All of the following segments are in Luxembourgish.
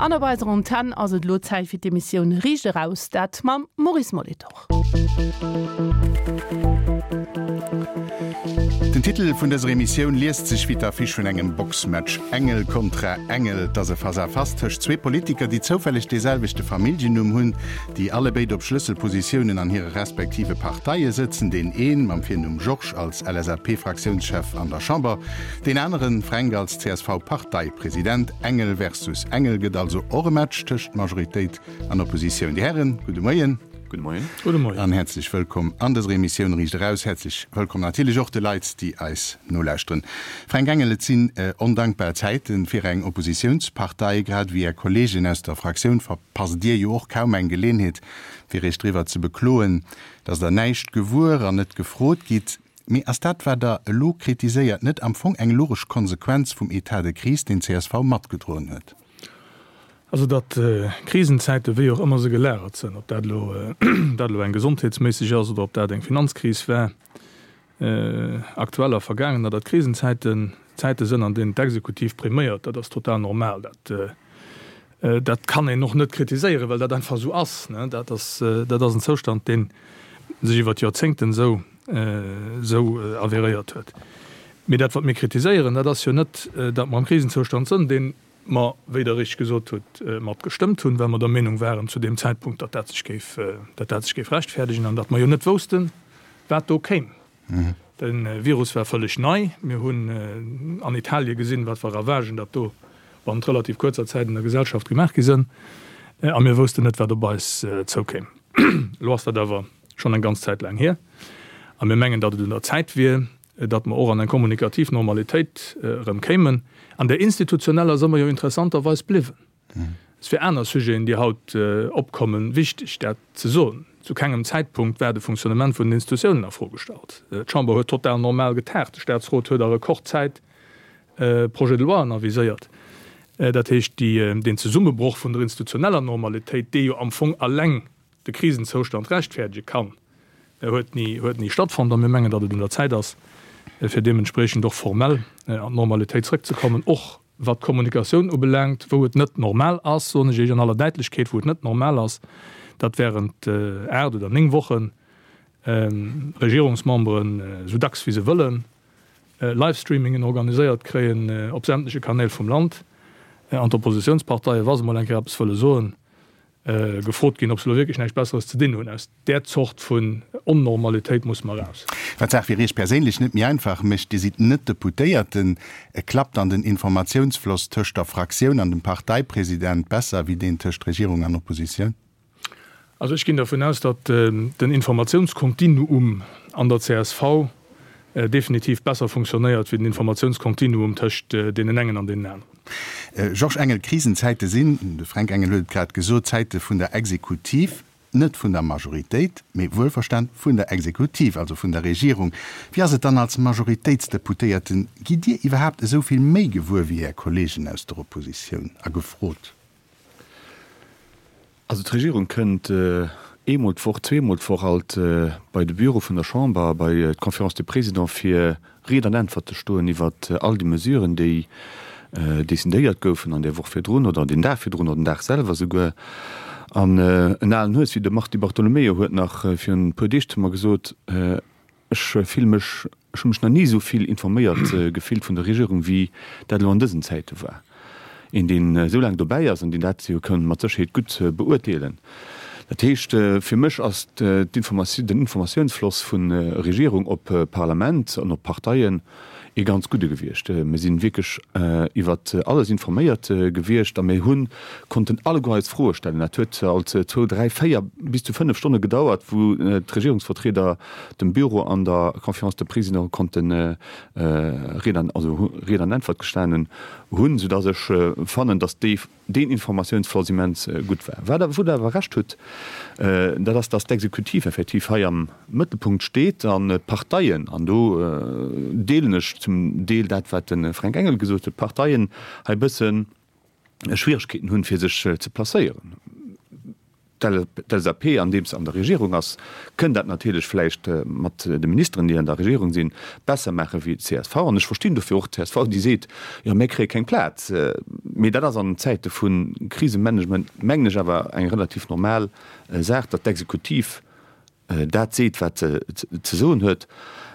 An op eiser Antenn ass et elo Zäit fir d'Emissioun Riicht eraus, dat mam Maurice Molitor. Den Titel vun dëser Emissioun liest sech wéi d'Affiche vun engem Boxmatch, Engel kontra Engel. Et ass e Face-à-face tëscht zwee Politiker, déi zoufälleg dee selwechte Familljennumm hunn, déi allebéid op Schlësselpositiounen an hire respektive Parteie sëtzen, deen een mam Virnumm Georges als LSAP-Fraktiounschef an der Chamber, deen aneren, Fränk, als CSV-Parteipresident. Engel versus Engel gëtt also och e Match tëscht Majoritéit an Oppositioun. Dir Hären, gudde Moien. Gudde Moien. Gudde Moien. An häerzlech wëllkomm an dëser Emissioun Riicht Eraus. Häerzlech wëllkomm natierlech och de Leit, déi eis nolauschteren. Fränk Engel, et sinn ondankbar Zäite fir eng Oppositiounspartei. Grad ewéi Är Kolleegen aus der Fraktioun verpasst Dir jo och kaum eng Geleenheet, fir Iech driwwer ze bekloen, datt Der näischt gewuer an net gefrot gitt. Mee ass dat, wat Der elo kritiséiert, net am Fong eng logesch Konsequenz vum Etat de crise, deen csv matgedroen huet? Also datt Krisenzäiten, wéi och ëmmer se gelagert sënn, ob dat elo dat elo eng gesondheetsméisseg ass oder ob dat eng Finanzkris war, aktuell a vergaangener, datt Krisenzäiten Zäite sënn, an deenen d'Exekutiv priméiert, dat ass total normal. Dat dat kann een och net kritiséieren, well dat einfach esou ass. Dat ass dat ass en Zoustand, dee sech iwwer d'Joerzéngten esou esou avéréiert huet. Mee dat, wat mir kritiséieren, dat ass jo net, datt mer am Krisenzoustand sënn, deen mer, wéi Der richteg gesot hutt, mat gestëmmt hunn, well mer der Meenung waren zu deem Zäitpunkt, datt dat sech géif, datt dat sech géif rechtfäerdegen an datt mer jo net woussten, wat do kéim. De Virus war vëlleg nei. Mir hunn an Italie gesinn, wat fir Ravagen dat do bannent relativ kuerzer Zäit an der Gesellschaft gemaach gi sënn. A mir woussten net, wat op eis zoukéim. Elo ass dat awer schonn eng ganz Zäit laang hier a mir mengen, datt et un der Zäit wier, datt mer och an eng kommunikativ Normalitéit erëm kéimen. An där institutioneller si mer jo interessanterweis bliwwen. Et ass fir aner Sujeten, déi haut opkommen, wichteg, dat ze soen. Zu kengem Zäitpunkt war de Fonctionnement vun den Institutiounen a Fro gestallt. D'Chamber huet total normal getagt. De Statsrot huet a Rekordzäit Projet-de-loien aviséiert. Dat heescht, deen Zesummebroch vun der institutioneller Normalitéit, dee jo am Fong alleng de Krisenzoustand rechtfäerdege kann, huet ni, huet ni stattfonnt. A mir mengen, datt et un der Zäit ass, fir deementspreechend och formell an d'Normalitéit zrëckzekommen, och wat d'Kommunikatioun ubelaangt, wou et net normal ass, soen ech Iech an aller Däitlechkeet, wou et net normal ass, datt während 8 oder 9 Wochen Regierungsmemberen esou dacks wéi se wëllen Livestreamingen organiséiert kréien op sämtleche Kanäl vum Land an d'Oppositionsparteien, wa se mol eng Kéier eppes wëlle soen, gefrot ginn, ob se elo wierklech näischt Besseres ze dinn hunn. Aus där Zort vun Onnormalitéit musse mer eraus. Wat d'Saach fir Iech perséinlech net méi einfach mécht, Dir sidd net Deputéierten. Klappt dann den Informatiounsfloss tëscht der Fraktioun an dem Parteipresident besser wéi deen tëscht Regierung an Oppositioun? Also ech ginn dervun aus, datt den Informatiounskontinuum an der csv definitiv besser funktionéiert wéi den Informatiounskontinuum tëscht deenen engen an deenen aneren. Georges Engel, Krisenzäite sinn, de Fränk Engel huet et grad gesot, Zäite vun der Exekutiv, net vun der Majoritéit, mee wuelverstan vun der Exekutiv, also vun der Regierung. Wéi ass et dann als Majoritéitsdeputéierten, gitt Dir iwwerhaapt esou vill méi gewuer wéi Är Kollegen aus der Oppositioun a gefrot? Also d'Regierung kënnt eemol d'Woch, zweemol d'Woch alt bei de Büro vun der Chamber a bei d'Conférence des Présidents fir Ried an Äntwert ze stoen iwwer all déi Mesuren, déi decidéiert goufen an där Woch virdrun oder deen Dag virdrun oder den Dag selwer souguer. An en alen Hues wéi de Mars Di Bartolomeo huet nach virun e puer Deeg zu mer gesot, Ech fille mech, ech hu mech nach ni esou vill informéiert gefillt vun der Regierung, wéi dat elo an dësen Zäite war. Een, deen esou laang dobäi ass an deen dat jo ka mat Sécherheet gutt beurteelen. Dat heescht, fir mech ass den Informatiounsfloss vu Regierung op Parlament an op Parteien ee ganz gudde gewiescht. Mir si wierklech iwwer alles informéiert gewiescht a mir hu konnten alleguer eis Froe stellen. Dat huet alt zwou, dräi, véier, bis zu fënnef Stonne gedauert, wou d'Regierungsvertrieder dem Büro an der Conférence des Présidents konnte Ried an, also Ried an Äntwert gestanen hunn, soudass ech fannen, dass déi, deen Informatiounsfloss immens gutt war. Wat awer, wou Der awer Recht hutt, dat ass, dass d'Exekutiv effektiv hei am Mëttelpunkt steet an d'Parteien, an do deelen ech zum Deel dat, wat de Fränk Engel gesot huet, d'Parteien hei e bësse Schwierigkeeten hunn, fir sech ze placéieren. D'LSAP, andeems se an der Regierung ass, kënn dat natierlech vläicht mat de Ministeren, déi an der Regierung sinn, besser maache wéi d'CSV. An ech verstinn dofir och d'CSV, déi seet, Jo, mir kréie keng Plaz. Mee dat ass an Zäite vu Krisemanagement, mengen ech, awer eng relativ normal Saach, datt d'Exekutiv dat seet, wat se ze soen huet,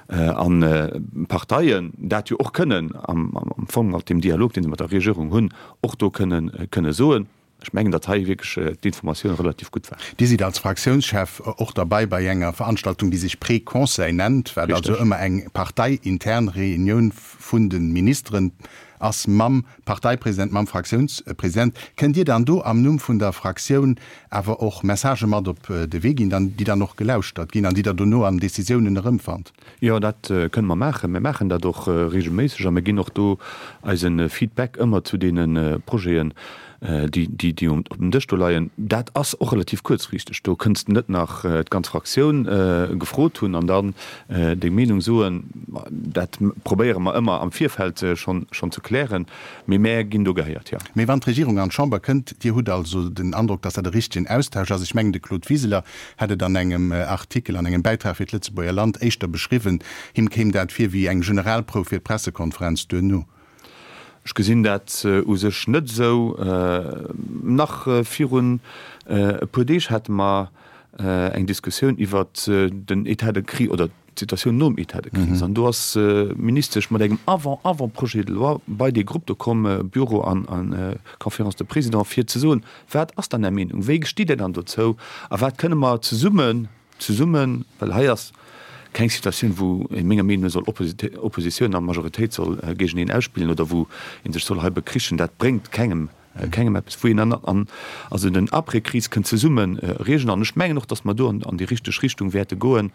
an d'Parteien dat jo och kënnen am Fong mat deem Dialog, dee se mat der Regierung hunn, och do kënne soen. Ech mengen, datt hei wierklech d'Informatioun relativ gutt war. Dir sidd als Fraktiounschef och derbei bei enger Veranstaltung, déi sech Pré-Conseil nennt, wat also ëmmer eng parteiintern Reunioun vun de Ministeren ass mam Parteipresident, mam Fraktiounspresident. Kënnt Dir dann do am Numm vun der Fraktioun awer och Messagë mat op de Wee ginn, déi dann och gelauschtert ginn an déi Der dono an Decisiounen erëmfannt? Jo, dat kënne mer maachen. Mir maachen dat och reegelméisseg a mir ginn och do eise Feedback ëmmer zu deene Projeten, déi op dem Dësch do leien. Dat ass och relativ kuerzfristeg. Do kënns de net nach d'ganz Fraktioun gefrot hunn an dann deng Meenung soen. Dat probéiere mer ëmmer am Virfeld schonn ze klären. Mee mär ginn do gehéiert, jo. Mee wann d'Regierung an d'Chamber kënnt, Dir hutt also den Androck, datt dat e richtegen Austausch ass. Ech mengen, de Claude Wiseler hätt et an engem Artikel, an engem Bäitrag fir d'Lëtzebuerger Land éischter beschriwwen, him kéim dat vir wéi eng Generalprouf fir d'Pressekonferenz duerno. Ech gesinn dat u sech net esou. Nach virun e puer Deeg hate mer eng Diskussioun iwwert den État de crise oder d'Situatioun nom État de crise. An do ass d'Ministesch mat engem Avant-avant-projet de loi bei dee Grupp do komm, Bureau an Conférence de Présidents, fir ze soen, Wat ass dann Är Meenung? Wéi stitt Dir dann dozou? A wat kënne mer zesummen, zesummen, well hei ass keng Situatioun, wou ee menger Meenung no soll Oppositioun a Majoritéit soll géigeneen ausspillen oder wou ee sech soll hei bekrichen, dat bréngt kengem, kengem eppes, wou een an, an also den Après-Crise kënnt zesumme reegelen. An ech mengen och, datt mer do an déi richteg Richtung wäerte goen.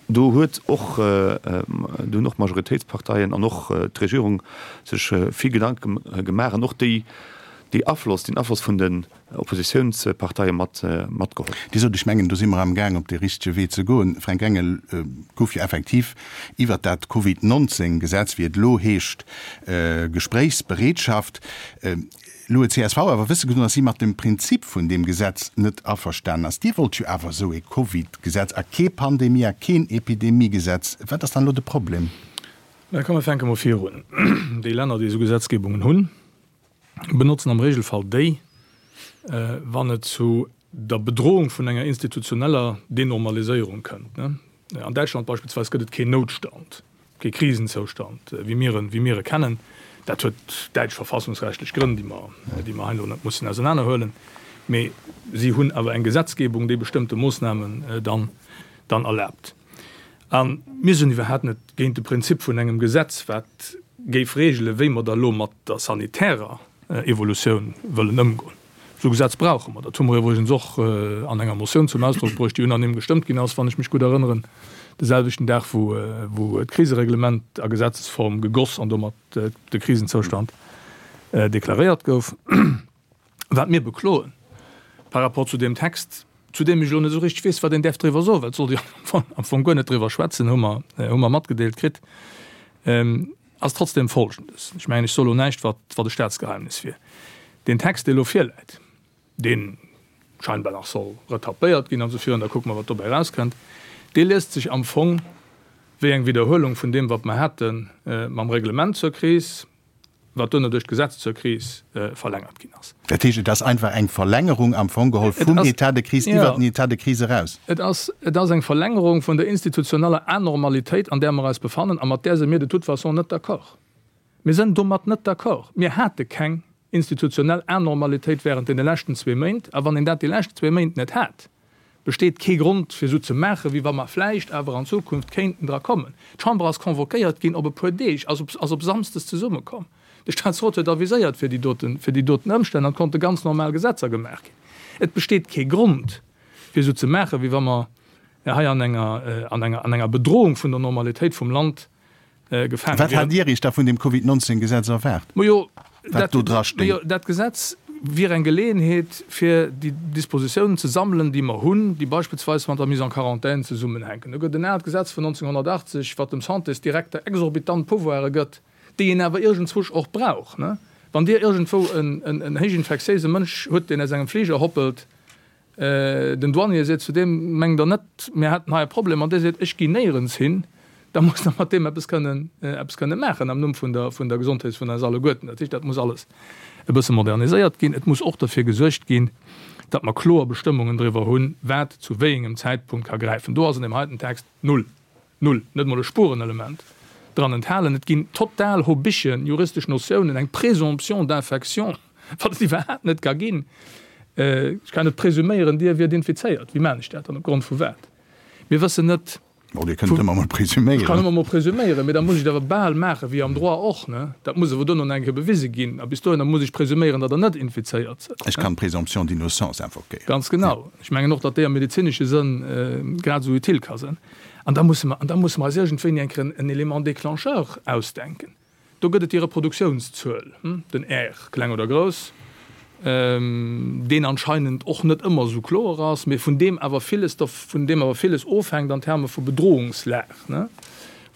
Do huet och, do hunn och d'Majoritéitsparteien an och d'Regierung sech vill Gedanke gemaach an och déi, déi Afloss, deen Afloss vun den Oppositiounsparteie mat, matgeholl. Dir sot, ech mengen, do si mer amgaang op dee richtege Wee ze goen. Fränk Engel, gouf jo effektiv iwwert dat Covid 19 Gesetz, wéi et elo heescht, Gespréichsbereetschaft. Elo huet csv awer wësse gedoen, datt si mat dem Prinzip vun deem Gesetz net averstanen ass. Dir wollt jo awer esou ee Covid-Gesetz a kee Pandemie a keen Epidemie-Gesetz. Wat ass dann elo de Problem? Mä komm, mir fänke mol virun. Déi Länner, déi esou Gesetzgebungen hunn, benotzen am Regelfall déi, wann et zu der Bedrohung vun enger institutioneller Denormaliséierung kënnt. An Däitschland beispillsweis gëtt et keen Noutstand, kee Krisenzoustand, wéi mir en, wéi mir e kennen. Dat huet däitsch verfassungsrechtlech Grënn, déi mer, déi mer hei elo net mussen ausenanerhuelen. Mee si hunn awer eng Gesetzgebung, déi bestëmmte Moossnamen dann, dann erlaabt. A mir sinn iwwerhaapt net géint de Prinzip vun engem Gesetz, wat géif regelen, wéi mer da elo mat der sanitärer Evolutioun wëllen ëmgoen. Esou e Gesetz brauche mer. Dat hu mer iwwregens och an enger Motioun zum Ausdrock bruecht, déi unanime gestëmmt ginn ass, wann ech mech gutt erënneren, de selwechten Dag, wou d'Krisereglement a Gesetzesform gegoss an domat de Krisenzoustand deklaréiert gouf. Wat mir bekloen par rapport zu deem Text, zu deem ech elo net esou richteg weess, wat een däerf driwwer soen, well et sollt ee jo am Fong guer net driwwer schwätzen, hu mer, hu mer matgedeelt kritt, ass trotzdem Folgendes, Ech mengen, ech soe lo näischt, wat, wat e Staatsgeheimnis wier. Deen Text, dee elo virläit, dee scheinbar nach soll retapéiert ginn an esou virun, da kucke mer, wat dobäi erauskënnt, dee liest sech am Fong wéi eng Widderhuelung vun deem, wat mer hate mam Reglement zur Kris, wat duerno duerch d'Gesetz zur Kris verlängert ginn ass. Dat heescht, et ass einfach eng Verlängerung am Fong geholl vum État de crise iwwert den État de crise eraus? Et ass, et ass eng Verlängerung vun der institutioneller Anormalitéit, an där mer eis befannen a mat där si mir de toute façon net d'accord. Mir sënn domat net d'accord. Mir hate keng institutionell Anormalitéit während deene leschten zwee Méint. A wann een dat déi lescht zwee Méint net hat, besteet kee Grond fir esou ze maachen, wéi wa mer vläicht awer an Zukunft kéinten dra kommen. D'Chamber ass convoquéiert ginn op e puer Deeg, ass op ass op Samsdes zesummekomm. De Staatsrot huet aviséiert fir déi doten fir déi doten Ëmstänn an et konnte ganz normal Gesetzer gemaach ginn. Et besteet kee Grond fir esou ze maachen, wéi wa mer hei an enger an enger an enger Bedrohung vun der Normalitéit vum Land gefaange Wat hat Dir Iech da vun deem Covid 19 Gesetz erwaart? Majo, Wat do dra stéing? Majo, dat Gesetz wier eng Geleeënheet, fir déi Dispositiounen ze sammelen, déi mer hunn, déi beispillsweis mat der Mise en quarantaine zesummenhänken. Do gëtt en aalt Gesetz vun 1980, wat dem Santésdirekter exorbitant Pouvoire gëtt, déi een awer iergendzwousch och brauch. Wann Dir iergendwou en héichinfektiéise Mënsch hutt, deen aus engem Fliger hoppelt, Den Douanier seet zu deem, Mengt Der net, mir hätten hei e Problem? An dee seet, Ech ginn néierens hin. Da musst Der mat deem eppes kënnen, eppes kënnen maachen am Numm vun der, vun der Gesondheet vun eis alleguerten. Dat heescht, dat muss alles e bësse moderniséiert ginn. Et muss och derfir gesuergt ginn, datt mer kloer Bestëmmungen driwwer hunn, wat zu wéi engem Zäitpunkt ka gräifen. Do ass an deem heiten Text null, null, net emol e Spurenelement dran enthalen. Et ginn total hobichen juristesch Notiounen, eng Présomption d'infection, wat et iwwerhaapt net ka ginn. Ech kann net presuméieren, Dir wiert infizéiert. Wéi maan ech dat dann? Opgrond vu wat? Mir wëssen net. Bon, Dir kënnt ëmmer mol presuméieren. Ech kann ëmmer mol presuméieren, mee da muss ech et awer bal maachen, wéi am Droit och, ne? Dat muss awer duerno nach eng Kéier bewise ginn. A bis dohinner muss ech presuméieren, datt Der net infizéiert sidd. Ech kann d'Présomption d'innocence invoquéieren. Ganz genau. Ech mengen och, datt déi am medezinesche Sënn grad esou utile ka sinn. An da musse mer, an da musse mer eis iergendwéini eng Kéier en Élément déclencheur ausdenken. Do gëtt et déi Reproduktiounszuel, den R, kleng oder grouss, deen anscheinend och net ëmmer esou kloer ass, mee vun deem awer villes, vun deem awer villes ofhänkt an Terme vu Bedrohungslag,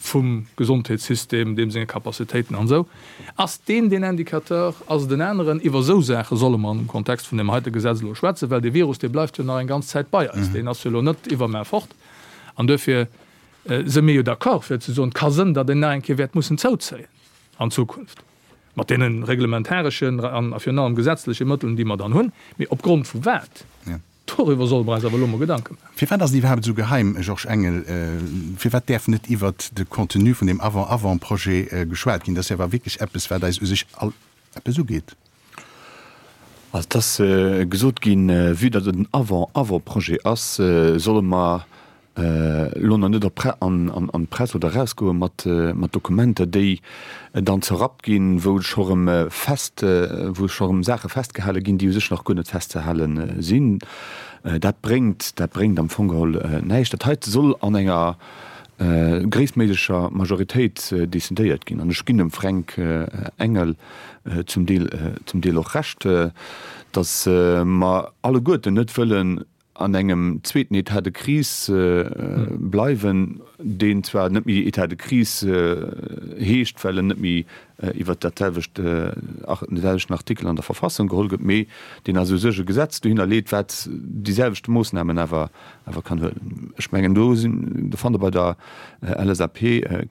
vum Gesondheetssystem, deem senge Capacitéiten an esou. Ass deen deen Indicateur? Ass et en aneren? Iwwer esou Saache solle mer am Kontext vun deem heite Gesetz elo schwätzen, well dee Virus, dee bleift jo nach eng ganz Zäit bei eis, deen ass jo elo net iwwermaer fort. An duerfir Se mir jo d'accord fir ze soen, et ka sënn, datt een nach eng Kéier wäert mussen zouzéien an Zukunft, mat deene reglementareschen an virun allem gesetzleche Mëtteln, déi mer dann hunn. Mee opgrond vu wat? Doriwwer solle mer eis awer elo mol Gedanke maachen. Firwat ass et iwwerhaapt esou geheim, Georges Engel? Firwat däerf net iwwert de Contenu vun deem Avant-avant-Projet geschwat ginn? Dat ass jo awer wierklech eppes, wat eis u sech all eppes ugeet. Also et ass gesot ginn, vue datt et en Avant-avant-Projet ass, solle mer elo nach net an d'Press oder erausgoe mat Dokumenter, déi dann zerrappt ginn, wou scho rëm fest, wou scho rëm Saache festgehale ginn, déi u sech nach guer net festzehale sinn. Dat bréngt, dat bréngt am Fong geholl näischt. Dat heite soll an enger gréisstméiglecher Majoritéit decidéiert ginn. An ech ginn dem Fränk Engel zum Deel, zum Deel och Recht, datt mer alleguerten net wëllen an engem zweeten État de crise bleiwen, deen zwar net méi État de crise heescht, well en net méi iwwert dat selwecht, den selwechten Artikel an der Verfassung geholl gëtt, mee deen also u sech e Gesetz dohinner leet, wat déi selwecht Moossnamen awer awer kann huelen. Ech mengen, do sinn, do fannt Der bei der LSAP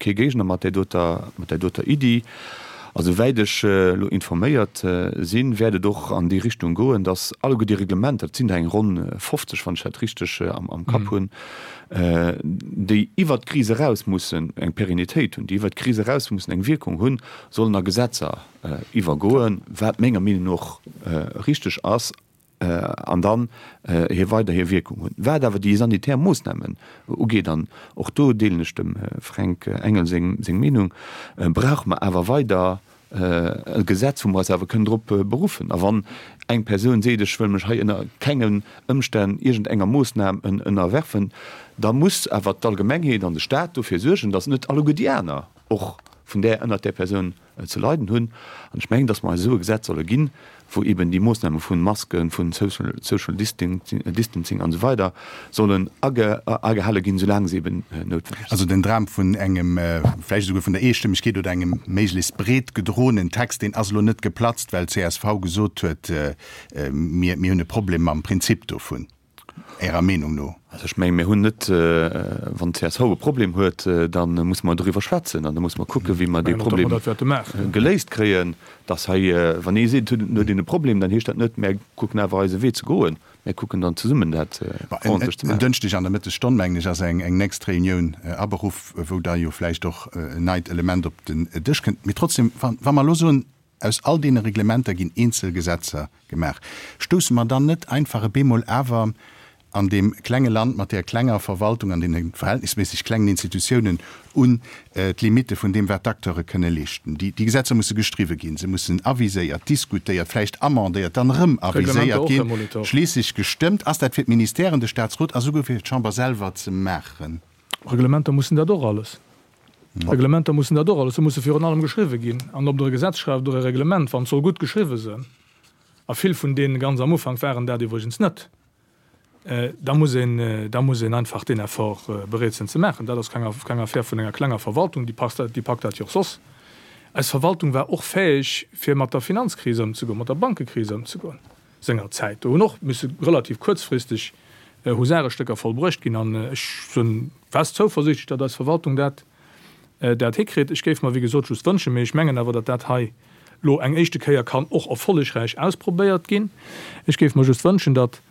kee Géigner mat där doter, mat där doter Iddi. A souwäit ech elo informéiert sinn, wäert et och an déi Richtung goen, dass alleguer déi Reglementer, et sinn der eng ronn 50, wann ech dat richteg am Kapp hunn, déi iwwert d'Kris eraus mussen eng Pérennitéit hunn, déi iwwert d'Kris eraus mussen eng Wierkung hunn, sollen a Gesetzer iwwergoen, wat menger Meenung no och richteg ass. an dann hir weider hir Wierkung hunn. Wat awer déi sanitär Moossnamen ugeet, an och do deelen ech dem Fränk Engel seng Meenung, brauche mer awer weider e Gesetz, wou mer eis awer kënnen drop beruffen. A wann eng Persoun seet, ech wëll mech hei ënner kengen Ëmstänn iergendenger Moossnam ënnerwerfen, da muss awer d'Allgemengheet an de Stat dofir suergen, datt net alleguer déi aner och vun där, ënnert där Persoun ze leiden hunn. An ech mengen, datt mer eis esou e Gesetz solle ginn, wou eben déi Moossname vu Masken, vu Social Distancing an esou weider sollen agehale ginn, soulaang se eben noutwenneg sinn. Also den Dram vun engem, vläicht esouguer vun der Eestëmmegkeet oder engem méiglechst breet gedroenen Text, deen ass elo net geplatzt, well csv gesot huet, mir hunn e Problem mam Prinzip dovun. Ärer Meenung no? Also ech mengen, mir hunn net, wann csv e Problem huet, da musse mer doriwwer schwätzen an da musse mer kucken, wéi mer dee Problem geléist kréien. Dass hei, wann ee seet, et huet een e Problem, dann heescht dat net, mär kucken awer eise Wee ze goen. Mär kucken dann zesummen dat ordentlech ze maachen. En Dënschdeg an der Mëttesstonn, mengen ech, ass eng nächst Reunioun aberuff, wou da jo vläicht och en neit Element op den Dësch kënnt. Mee trotzdem, wa mer elo soen, Aus all deene Reglementer ginn eenzel Gesetzer gemaach. Stousse mer dann net einfach e bemol awer an deem klenge Land mat där klenger Verwaltung an deene verhältnisméisseg klengen Institutiounen un d'Limitte vun deem, wat d'Acteure kënne leeschten? Déi Gesetzer musse gestriwwe ginn, se mussen aviséiert, diskutéiert, vläicht amendéiert, dann erëm aviséiert ginn, schliisslech gestëmmt. Ass dat fir d'Ministèren, de Statsrot a souguer fir d'Chamber selwer ze maachen? Reglementer mussen dat och alles. Reglementer mussen dat och alles, se musse virun allem geschriwwe ginn. An ob Der e Gesetz schreift oder e Reglement, wann et soll gutt geschriwwe sënn, a vill vun deene ganz am Ufank waren dat iwwregens net, da muss een, da muss een einfach deen Effort bereet sinn ze maachen. Dat ass keng, keng Affär vun enger klenger Verwaltung, déi passt, déi packt dat jo och soss. Eis Verwaltung war och fäeg, fir mat der Finanzkris ëmzegoen, mat der Bankekris ëmzegoen sengerzäit. Do hunn och misse relativ kuerzfristeg Husarestécker vollbruecht ginn. An ech sinn fest zouversiichtlech, datt eis Verwaltung dat. dat hikritt. Ech géif mer, wéi gesot, just wënschen, mee ech mengen awer, datt dat hei lo eng éischte Kéier kann och erfollegräich ausprobéiert ginn. Ech géif mer just wënschen, datt,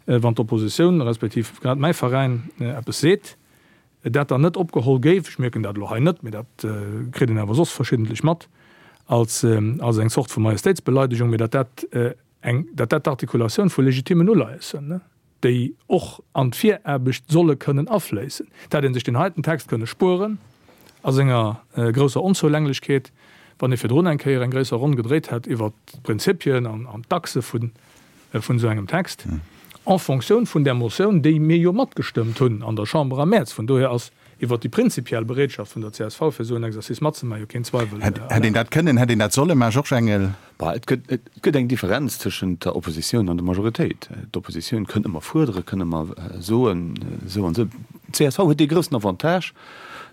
wann d'Oppositioun, respektiv grad mäi Veräin, eppes seet, dat dann net opgeholl géif, ech mierken dat elo hei net, mee dat kritt een awer soss verschiddentlech mat, als als eng Zort vu Majestéitsbeleidegung, mee datt dat eng, datt dat d'Artikulatioun vu legitimen Uleies sënn, déi och an d'Viraarbecht solle kënnen afléissen. Dat hätt ee sech deen heiten Text kënne spueren a senger grousser Onzoulänglechkeet, wann ee virdrun eng Kéier eng gréisser Ronn gedréit hätt iwwert d'Prinzipien an d'Achse vun esou engem Text, en Fonctioun vun där Motioun, déi mir jo matgestëmmt hunn an der Chamber am Mäerz. Vun dohier ass iwwert déi prinzipiell Bereetschaft vun der csv, fir esou en Exercice matzemaachen, jo keen Zweiwel erlaabt. Hätt een dat kënnen, hätt een dat solle maachen, Georges Engel? Bah, et gëtt, et gëtt eng Differenz tëschent der Oppositioun an der Majoritéit. D'Oppositioun kënnt ëmmer fuerderen, kënn ëmmer soen, esou an esou. D'CSV huet dee groussen Avantage,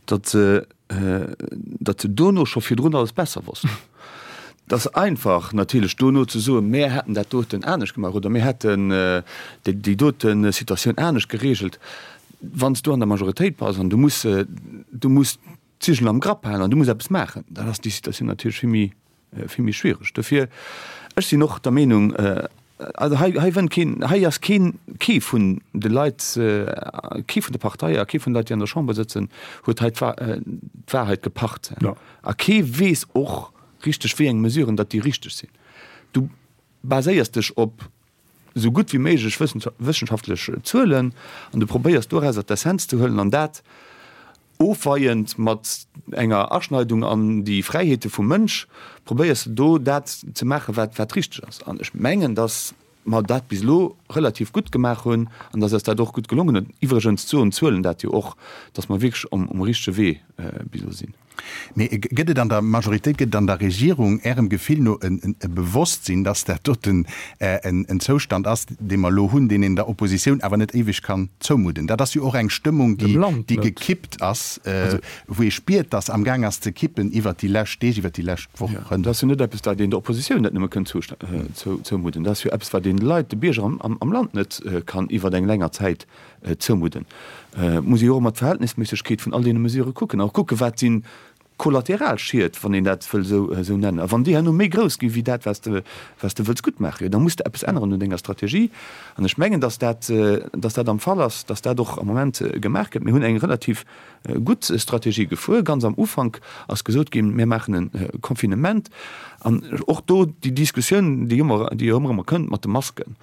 datt se, datt se dono scho virdrun alles besser wosst. Et ass einfach natierlech dono ze soen, mär hätten dat doten anescht gemaach oder mir hätten déi, déi dote Situatioun anescht geregelt. Wann s du an der Majoritéit bass an du muss, du muss d'Zigel am Grapp halen an du muss eppes maachen, dann ass déi Situatioun natierlech vill méi, vill méi schwiereg. Dofir, ech sinn och der Meenung, also hei, hei wënnt keen, hei ass keen, kee vun de Leit, kee vun de Parteie a kee vun de Leit, déi an der Chamber sëtzen, huet hei d'Wahrheit gepacht. A kee weess och richteg, wéi eng Mesuren datt déi richteg sinn. Du baséiers dech op esou gutt wéi méiglech wëssenschaftlech Zuelen an du probéiers dorauser d'Essenz ze huelen an dat ofweiend mat enger Aschneidung an déi Fräiheete vum Mënsch probéiers de do dat ze maachen, wat wat richteg ass. An ech mengen, datt mer dat bis elo relativ gutt gemaach hunn an datt eis dat och gutt gelongen huet. Iwwregens soen d'Zuelen dat jo och, datt mer wierklech um richtege Wee bis elo sinn. Mee gëtt et an der Majoritéit, gëtt et an der Regierung Ärem Gefill no e Bewosstsinn, dass dat doten en Zoustand ass, dee mer elo hunn, deen een der Oppositioun awer net éiweg kann zoumudden? Dat ass jo och eng Stëmmung, déi gekippt ass, wou ee spiert, dass amgaang ass ze kippen iwwert déi lescht Deeg, iwwert déi lescht Wochen. Dat ass jo net eppes, wat een der Oppositioun net nëmme kënnt zoumudden. Dat ass jo eppes, wat een de Leit, de Bierger am Land net kann iwwert eng länger Zäit zoumudden, muss ee jo och ëmmer d'Verhältnisméissegkeet vun all deene Mesurë kucken a kucken, wat si Kollateralschied, wann een dat wëll esou nennen. A wann déi herno méi grouss gi wéi dat, wat s de, wat s de wëlls guttmaachen, jo da muss de eppes änneren un denger Strategie. An ech mengen, dass dat, dass dat am Fall ass, dass dat och am Moment gemaach gëtt. Mir hunn eng relativ gutt Strategie gefuer. Ganz am Ufank ass gesot ginn, mir maachen e Confinement. An och do déi Diskussioun, déi ëmmer, déi jo ëmmer erëm kënnt mat de Masken,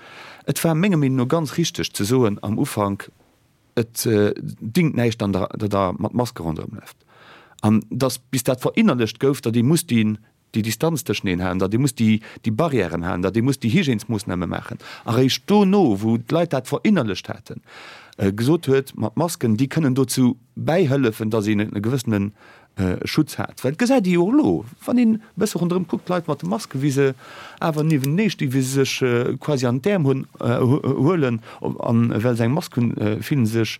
Et war menger Meenung no ganz richteg ze soen am Ufank, et dingt näischt, datt Der mat Maske ronderëmlaft. An datt bis dat verinnerlecht gouf, datt ee muss déi Distanz tëscheneen halen, datt ee muss déi Barrièren halen, datt ee muss déi Hygiènesmoossname maachen. A réischt dono, wou d'Leit dat verinnerlecht haten, gesot huet, mat Masken, déi kënnen dozou bäihëllefen, datt een e gewëssene Schutz hat. Well et gesäit ee jo och elo, wann een e bësse ronderëm kuckt, d'Leit mat de Masken, wéi se awer niewentenee stinn, wéi se sech quasi an d'Äerm hunn, huelen, an well se eng Mask hunn, fillen se sech,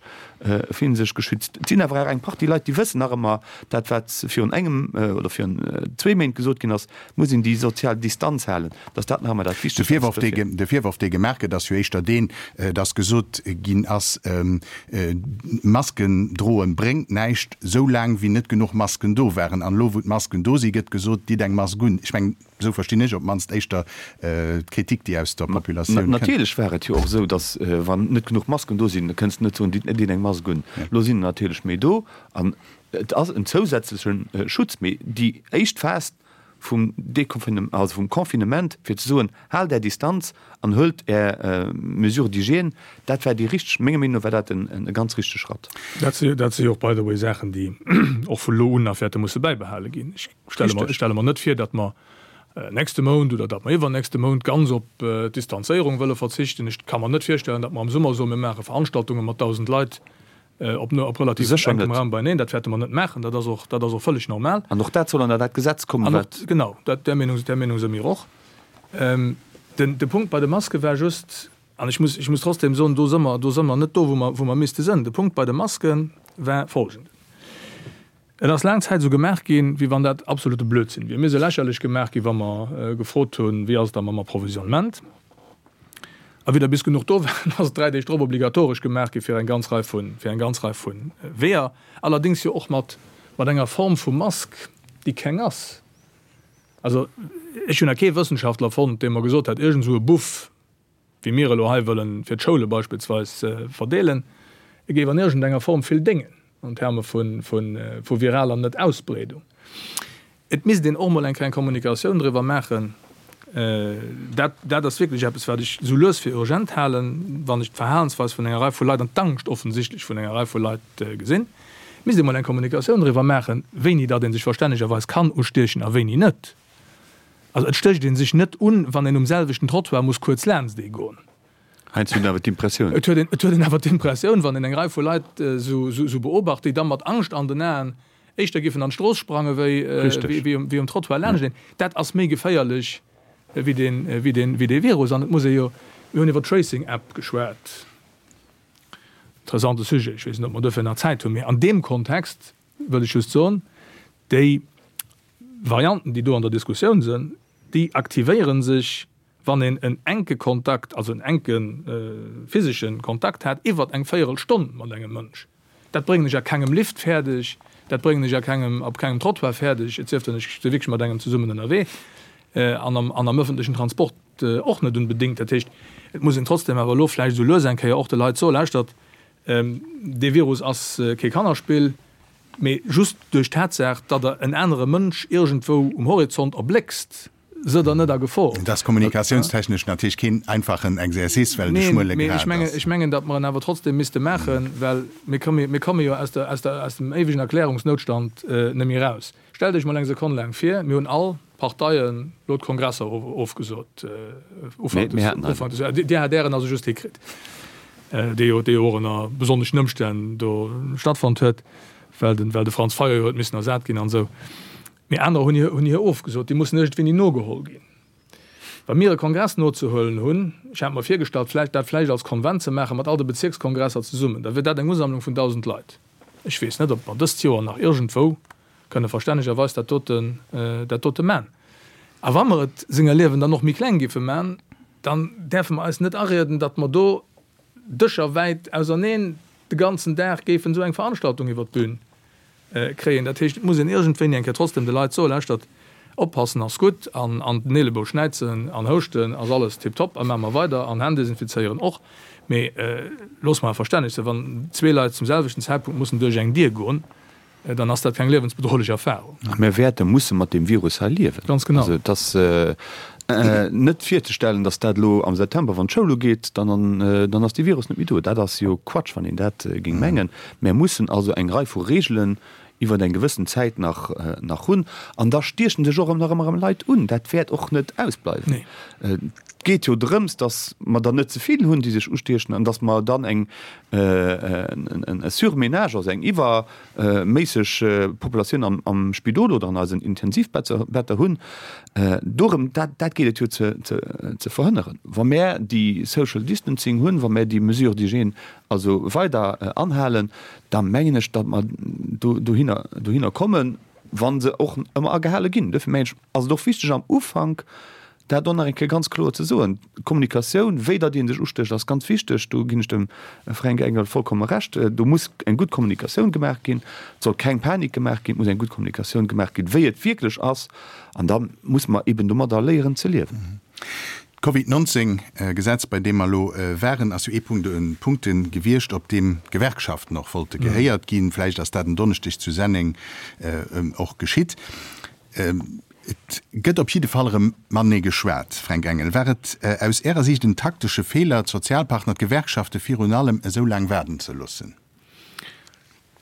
fillen se sech geschützt. Et sinn awer och eng Partie Leit, déi wëssen nach ëmmer dat, wat virun engem oder virun zwee Méint gesot ginn ass, et muss een déi sozial Distanz halen, datt dat nach ëmmer dat De Wichtegst ass. Virworf, dee, de Virworf, dee gemaach gëtt, ass jo éischter deen, datt gesot ginn ass, Masken droen bréngt näischt, sou laang wéi net genuch Masken do waren. An elo wou d'Masken do si gëtt gesot, ditt eng Mask un. Ech mengen, esou verstinn ech op d'mannst éischter d'Kritik déi aus der Populatioun kënnt. Natierlech war et jo och esou, datt wann net genuch Masken do sinn, da kënns de net soen, ditt net een eng Mask un. Elo sinn der natierlech méi do an et ass en zousätzleche Schutz. Mee déi éischt Phas, vum Deconfinement, also vum Confinement, fir ze soen, haalt Är Distanz an huelt Är Mesures d'hygiène, dat war déi richteg, menger Meenung no war dat e ganz richtege Schratt. Dat si, dat si jo och, by the way, Saachen, déi och vu lo un nach wäerte musse bäibehale ginn. Ech stelle mer, ech stelle mer net vir, datt mer nächste Mount oder datt mer iwwernächste Mount ganz op d'Distanzéierung wëlle verzichten. Ech ka mer net virstellen, datt mer am Summer soen, mir maache Veranstaltunge mat 1.000 Leit Op op relativ Sécher enkem net. Raum beieneen. Dat wäerte mer net maachen. Dat ass och, dat ass och vëlleg normal. An och dat soll an dat Gesetz kommen, An och, wat. genau, dat, där Meenung, där Meenung si mir och. Den, de Punkt bei de Maske war just, an ech muss, ech muss trotzdem soen, do si mer, do si mer net do, wou mer, wou mer misste sënn. De Punkt bei de Maske war folgenden, Et ass laang Zäit esou gemaach ginn, wéi wann dat absolute Blödsinn wier. Mir si lächerlech gemaach ginn, wa mer gefrot hunn, wéi ass et da mam Approvisionnement. A wéi der bis genuch do waren, ass et dräi Deeg drop obligatoresch gemaach gi fir eng ganz Rei vu, fir eng ganz Rei vu Weeër, allerdéngs jo och mat. Mat enger Form vu Mask, déi keng ass. Also ech hunn nach kee Wëssenschaftler fonnt, dee mer gesot hätt, iergend esou e Buff, wéi mir elo hei wëllen fir d'Schoule beispillsweis verdeelen, e géif an iergendenger Form vill déngen an Terme vu viraler Net-Ausbreedung. Et misst een och mol eng kleng Kommunikatioun driwwer maachen. Dat, dat ass wierklech eppes, wat ech esou lues fir urgent halen, wann ech d'Verhalensweis vun enger Rei vu Leit an d'Angscht offensichtlech vun enger Rei vu Leit gesinn. Et misst ee mol eng Kommunikatioun driwwer maachen, wéini datt ee sech verstännegerweis kann ustiechen a wéini net. Also et stécht ee sech net un, wann een um selwechten Trottoir muss kuerz laanscht ee goen. Heiansdo huet een awer d'Impressioun. Et huet een, et huet een awer d'Impressioun, wann een eng Rei vu Leit esou, esou beobacht, déi da mat Angscht an den Aen éischter giffen an d'Strooss sprange wéi, wéi um, wéi um Trottoir laanscht een. Dat ass méi geféierlech wéi deen, wéi deen, wéi dee Virus. An et muss ee jo, mir hunn iwwer d'Tracing-App geschwat, interessante Sujet, ech weess net, ob mer duerfir nach Zäit hunn, mee an deem Kontext wëll ech just soen, déi Varianten, déi do an der Diskussioun sinn, déi aktivéiere sech Wann een en enke Kontakt, also en enke physesche Kontakt hat iwwert eng Véierelstonn mat engem Mënsch, dat bréngen ech a kengem Lift fäerdeg, dat bréngen ech a kengem, op kengem Trottoir fäerdeg, et sief denn ech si wierklech mat engem zesummen ënnerwee, an am, an am ëffentlechen Transport och net unbedéngt. Dat heescht, et muss een trotzdem awer elo vläicht esou lues eng Kéier och de Leit soen, Lauschtert, dee Virus ass kee Kannerspill, mee just duerch d'Tatsaach, datt Der en anere Mënsch iergendwou um Horizont erbléckst, se der net a Gefor. Et ass kommunikatiounstechnesch natierlech keen einfachen Exercice, well et e schmuele Grad ass. Neen, mee ech mengen, datt mer en awer trotzdem misste maachen, well mir komme, mir komme jo aus der, aus der, aus dem éiwegen Erklärungsnoutstand net méi eraus. Stellt Iech mol eng Sekonn laang vir, mir hunn all Parteien elo d'Kongresser ofgesot Ufank des, Ufank des Joers. Dir hat Ären also just hikritt, dee jo, dee jo och ënner besonneschen Ëmstänn do stattfonnt huet, well de, well de Franz Fayot jo huet missen ersat ginn an esou. Mee anerer hunn hir, hunn hir ofgesot. Déi mussen iergendwéini nogeholl ginn. Wa mir e Kongress nozehuelen hunn, ech hat mer virgestallt, vläicht dat vläicht als Konvent ze maachen, mat all de Bezierkskongresser zesummen, da wier dat eng Usammlung vun 1.000 Leit. Ech weess net, ob mer dëst Joer nach iergendwou kënne verstännegerweis dat doten, dat dote man. A wa mer et senger Liewen dann och méi kleng giffe man, dann däerfe mer eis net arieden, datt mer do Dëscher wäit auserneen de ganzen Dag géifen esou eng Veranstaltung iwwert d'Bün kréien. Dat heescht, et muss een iergendwéini eng Kéier trotzdem de Leit soen, Lauschtert, oppassen ass gutt an an den Eelebou schnäizen an houschten ass alles tiptop a maache mer weider an Hänn desinfizéieren och, mee loosse mer awer verstänneg sinn, wann zwee Leit zum selwechten Zäitpunkt mussen duerch eng Dier goen, dann ass dat keng liewensbedrohlech Erfahrung. A mir wäerte musse mat deem Virus hei liewen. Ganz genau. Also et ass net virzestellen, datt dat elo am September, wann d'Schoul ugeet, dann dann ass dee Virus net méi do. Dat ass jo Quatsch, wann een dat géing mengen. Mär mussen also eng Rei vu Reegelen iwwer eng gewëssen Zäit nach nach hunn. An da stiechen sech och nach ëmmer erëm Leit un. Dat wäert och net ausbleiwen. Et geet jo drëms, datt mer der net ze vill hunn, déi sech ustiechen, an datt mer dann eng e Surmenage, also eng iwwerméisseg Populatioun am Spidol oder an eisen Intensivbetter hunn. Dorëm, dat geet et jo ze verhënneren. Wa mär déi Social Distancing hunn, wa mär déi Mesures d'hygiène also weider anhalen, da mengen ech, datt mer dohinner kommen, wa se och ëmmer agehale ginn. Duerfir mengen ech, ass et och wichteg am Ufank, Dat och nach eng Kéier ganz kloer ze soen, D'Kommunikatioun, wéi datt ee sech ustécht, ass ganz wichteg. Do ginn ech dem Fränk Engel vollkomme Recht. Do muss eng gutt Kommunikatioun gemaach ginn. Et soll keng Panik gemaach ginn. Et muss eng gutt Kommunikatioun gemaach ginn, wéi et wierklech ass. An da muss mer eben domadder léieren ze liewen. D'Covid 19 Gesetz, bei deem mer elo waren, ass jo ee Punkt de Punkte gewiescht, op deem d'Gewerkschaften och wollte gehéiert ginn. Vläicht ass dat en Donneschdeg zu Senneng och geschitt. Et gëtt op jidde Fall erëm matenee geschwat. Fränk Engel, war et aus Ärer Siicht en taktesche Feeler, d'Sozialpartner, d'Gewerkschafte virun allem esou laang waarden ze loossen?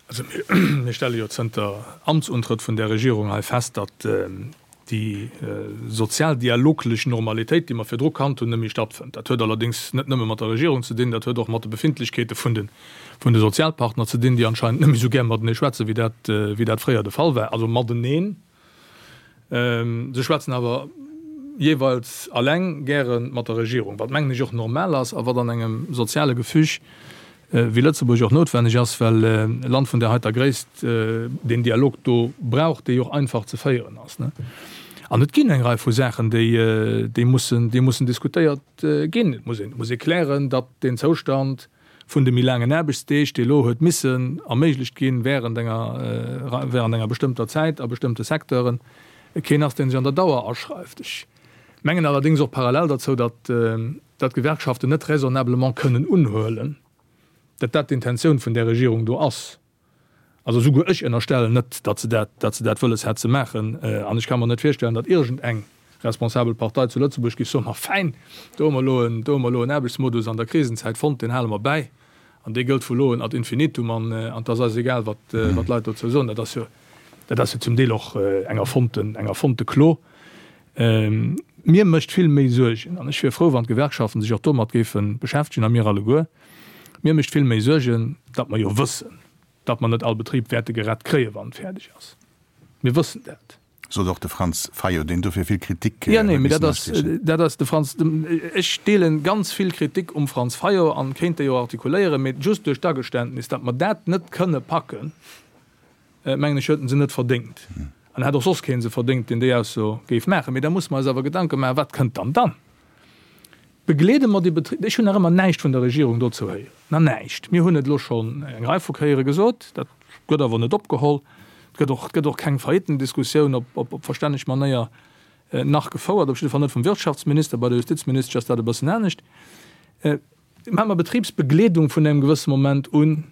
Also mir stelle jo zënter Amtsuntrëtt vun där Regierung hei fest, datt déi sozialdialoglech Normalitéit, déi mer virdru kannt hunn, net méi stattfënnt. Dat huet allerdéngs net nëmme mat der Regierung ze dinn, dat huet och mat de Befindlechkeete vun de Sozialpartner ze dinn, déi anscheinend net méi esou gär matenee schwätzen, wéi dat fréier de Fall war. Also mateneen. Se schwätzen awer jeeweils alleng gäre mat der Regierung, wat mengen ech och normal ass a wat an engem soziale Gefüg wéi Lëtzebuerg och noutwenneg ass, well e Land vun där heiter Gréisst deen Dialog do brauch, dee jo och einfach ze féieren ass. An et ginn eng Rei vu Saachen, déi mussen, déi mussen diskutéiert ginn. Et muss een, muss ee klären, datt deen Zoustand. vun de méi laangen Aarbechtsdeeg, dee elo huet missen erméiglecht ginn während enger, während enger bestëmmter Zäit a bestëmmte Secteuren, keen ass, dee sech an der Dauer aschreift. Ech mengen allerdéngs och parallel derzou, datt, datt d'Gewerkschaften net raisonnablement kënnen unhuelen, datt dat d'Intentioun vun där Regierung do ass. Also esouguer ech ënnerstellen net, datt se dat, datt se dat wëlles hätt ze maachen. An ech ka mer net virstellen, datt iergendeng responsabel Partei zu Lëtzebuerg géif soen, Ma fäin, do hu mer elo en, do hu mer elo en Aarbechtsmodus an der Krisenzäit fonnt, deen hale mer bäi an dee gëllt vu lo un ad infinitum an, an 't ass eis egal, wat, wat d'Leit dozou soen. Dat ass jo, dat ass jo zum Deel och eng erfonnten, eng erfonnte Klo. Mir mécht vill méi Suergen, an ech wier frou, wann d'Gewerkschaften sech och domat géife beschäftegen a mir alleguer, mir mécht vill méi Suergen, datt mer jo wëssen, datt mer net all Betrib wäerte gerett kréien, wann en fäerdeg ass. Mir wëssen dat. Sot och de Franz Fayot, deen dofir vill Kritik huet missen astiechen. Dat ass de Franz. Ech deelen ganz vill Kritik um Franz Fayot an kéint déi och artikuléieren, mee just duerch d'Ageständnis, datt mer dat net kënne packen, mengen ech, huet en se net verdéngt. An hätt och soss keen se verdéngt, deen déi Ausso géif maachen. Mee da musse mer eis awer Gedanke maachen, Wat kënnt dann dann? Begleede mer déi Betriber? Ech hunn nach ëmmer näischt vun der Regierung dozou héieren, nach näischt. Mir hunn et elo schonn eng Rei vu Kéiere gesot, dat gëtt awer net opgeholl. Et gëtt och, et gëtt och keng Faillitendiskussioun op, op, op verstänneg Manéier nach gefouert, op jidde Fall net vum Wirtschaftsminister. Bei der Justizministesch ass dat e bëssen anescht. Maache mer Betribsbegleedung vun engem gewësse Moment un,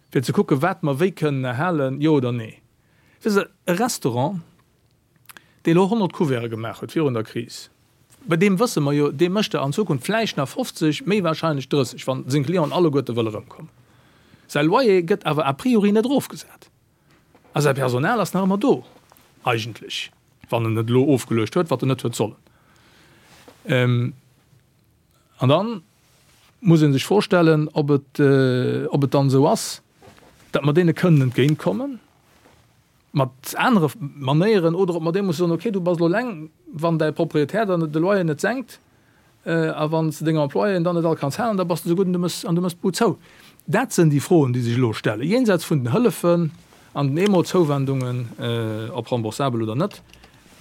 fir ze kucken, wat mer wéi kënnen erhalen, jo oder nee. Wësst Der, e Restaurant, dee elo 100 Couverte gemaach huet virun der Kris, bei deem wësse mer jo, dee mécht der an Zukunft vläicht nach 50, méi wahrscheinlech 30, wa seng Clienten alleguerte wëlle erëmkommen. Säi Loyer gëtt awer a priori net erofgesat a säi Personal ass nach ëmmer do, eigentlech, wann en et elo ofgeluecht huet, wat en net huet sollen. An dann muss ee sech vorstellen, ob et, ob et dann esou ass, datt mer deene kënnen entgéintkommen mat anere Manéieren oder ob mer deem musse soen, okay, du bass elo eleng, wann däi Proprietär dann de Loyer net senkt a wann s de deng Employéen dann net all kanns halen, da bass de esou gutt an du méchs, an du méchs d'Bud zou. Dat sënn déi Froen, déi sech elo stellen, jenseits vun den Hëllefen an den Eemolzouwendungen, ob remboursabel oder net,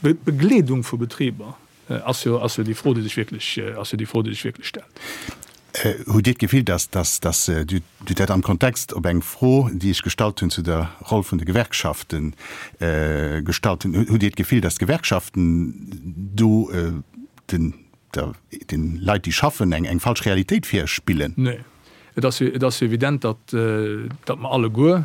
d'Begleedung vu Betriber. Ass jo, ass jo déi Fro, déi sech wierklech, ass jo déi Fro, déi sech wierklech stellt. Hutt Dir d'Gefill, dass, dass, dass Dir hutt dat am Kontext op eng Fro, déi ech gestallt hunn zu der Roll vun de Gewerkschaften gestallt hunn, hutt Dir d'Gefill, dass d'Gewerkschaften do den, der, den Leit, déi schaffen, eng, eng falsch Realitéit virspillen? Nee. Et ass jo, et ass jo evident, datt, datt mer alleguer,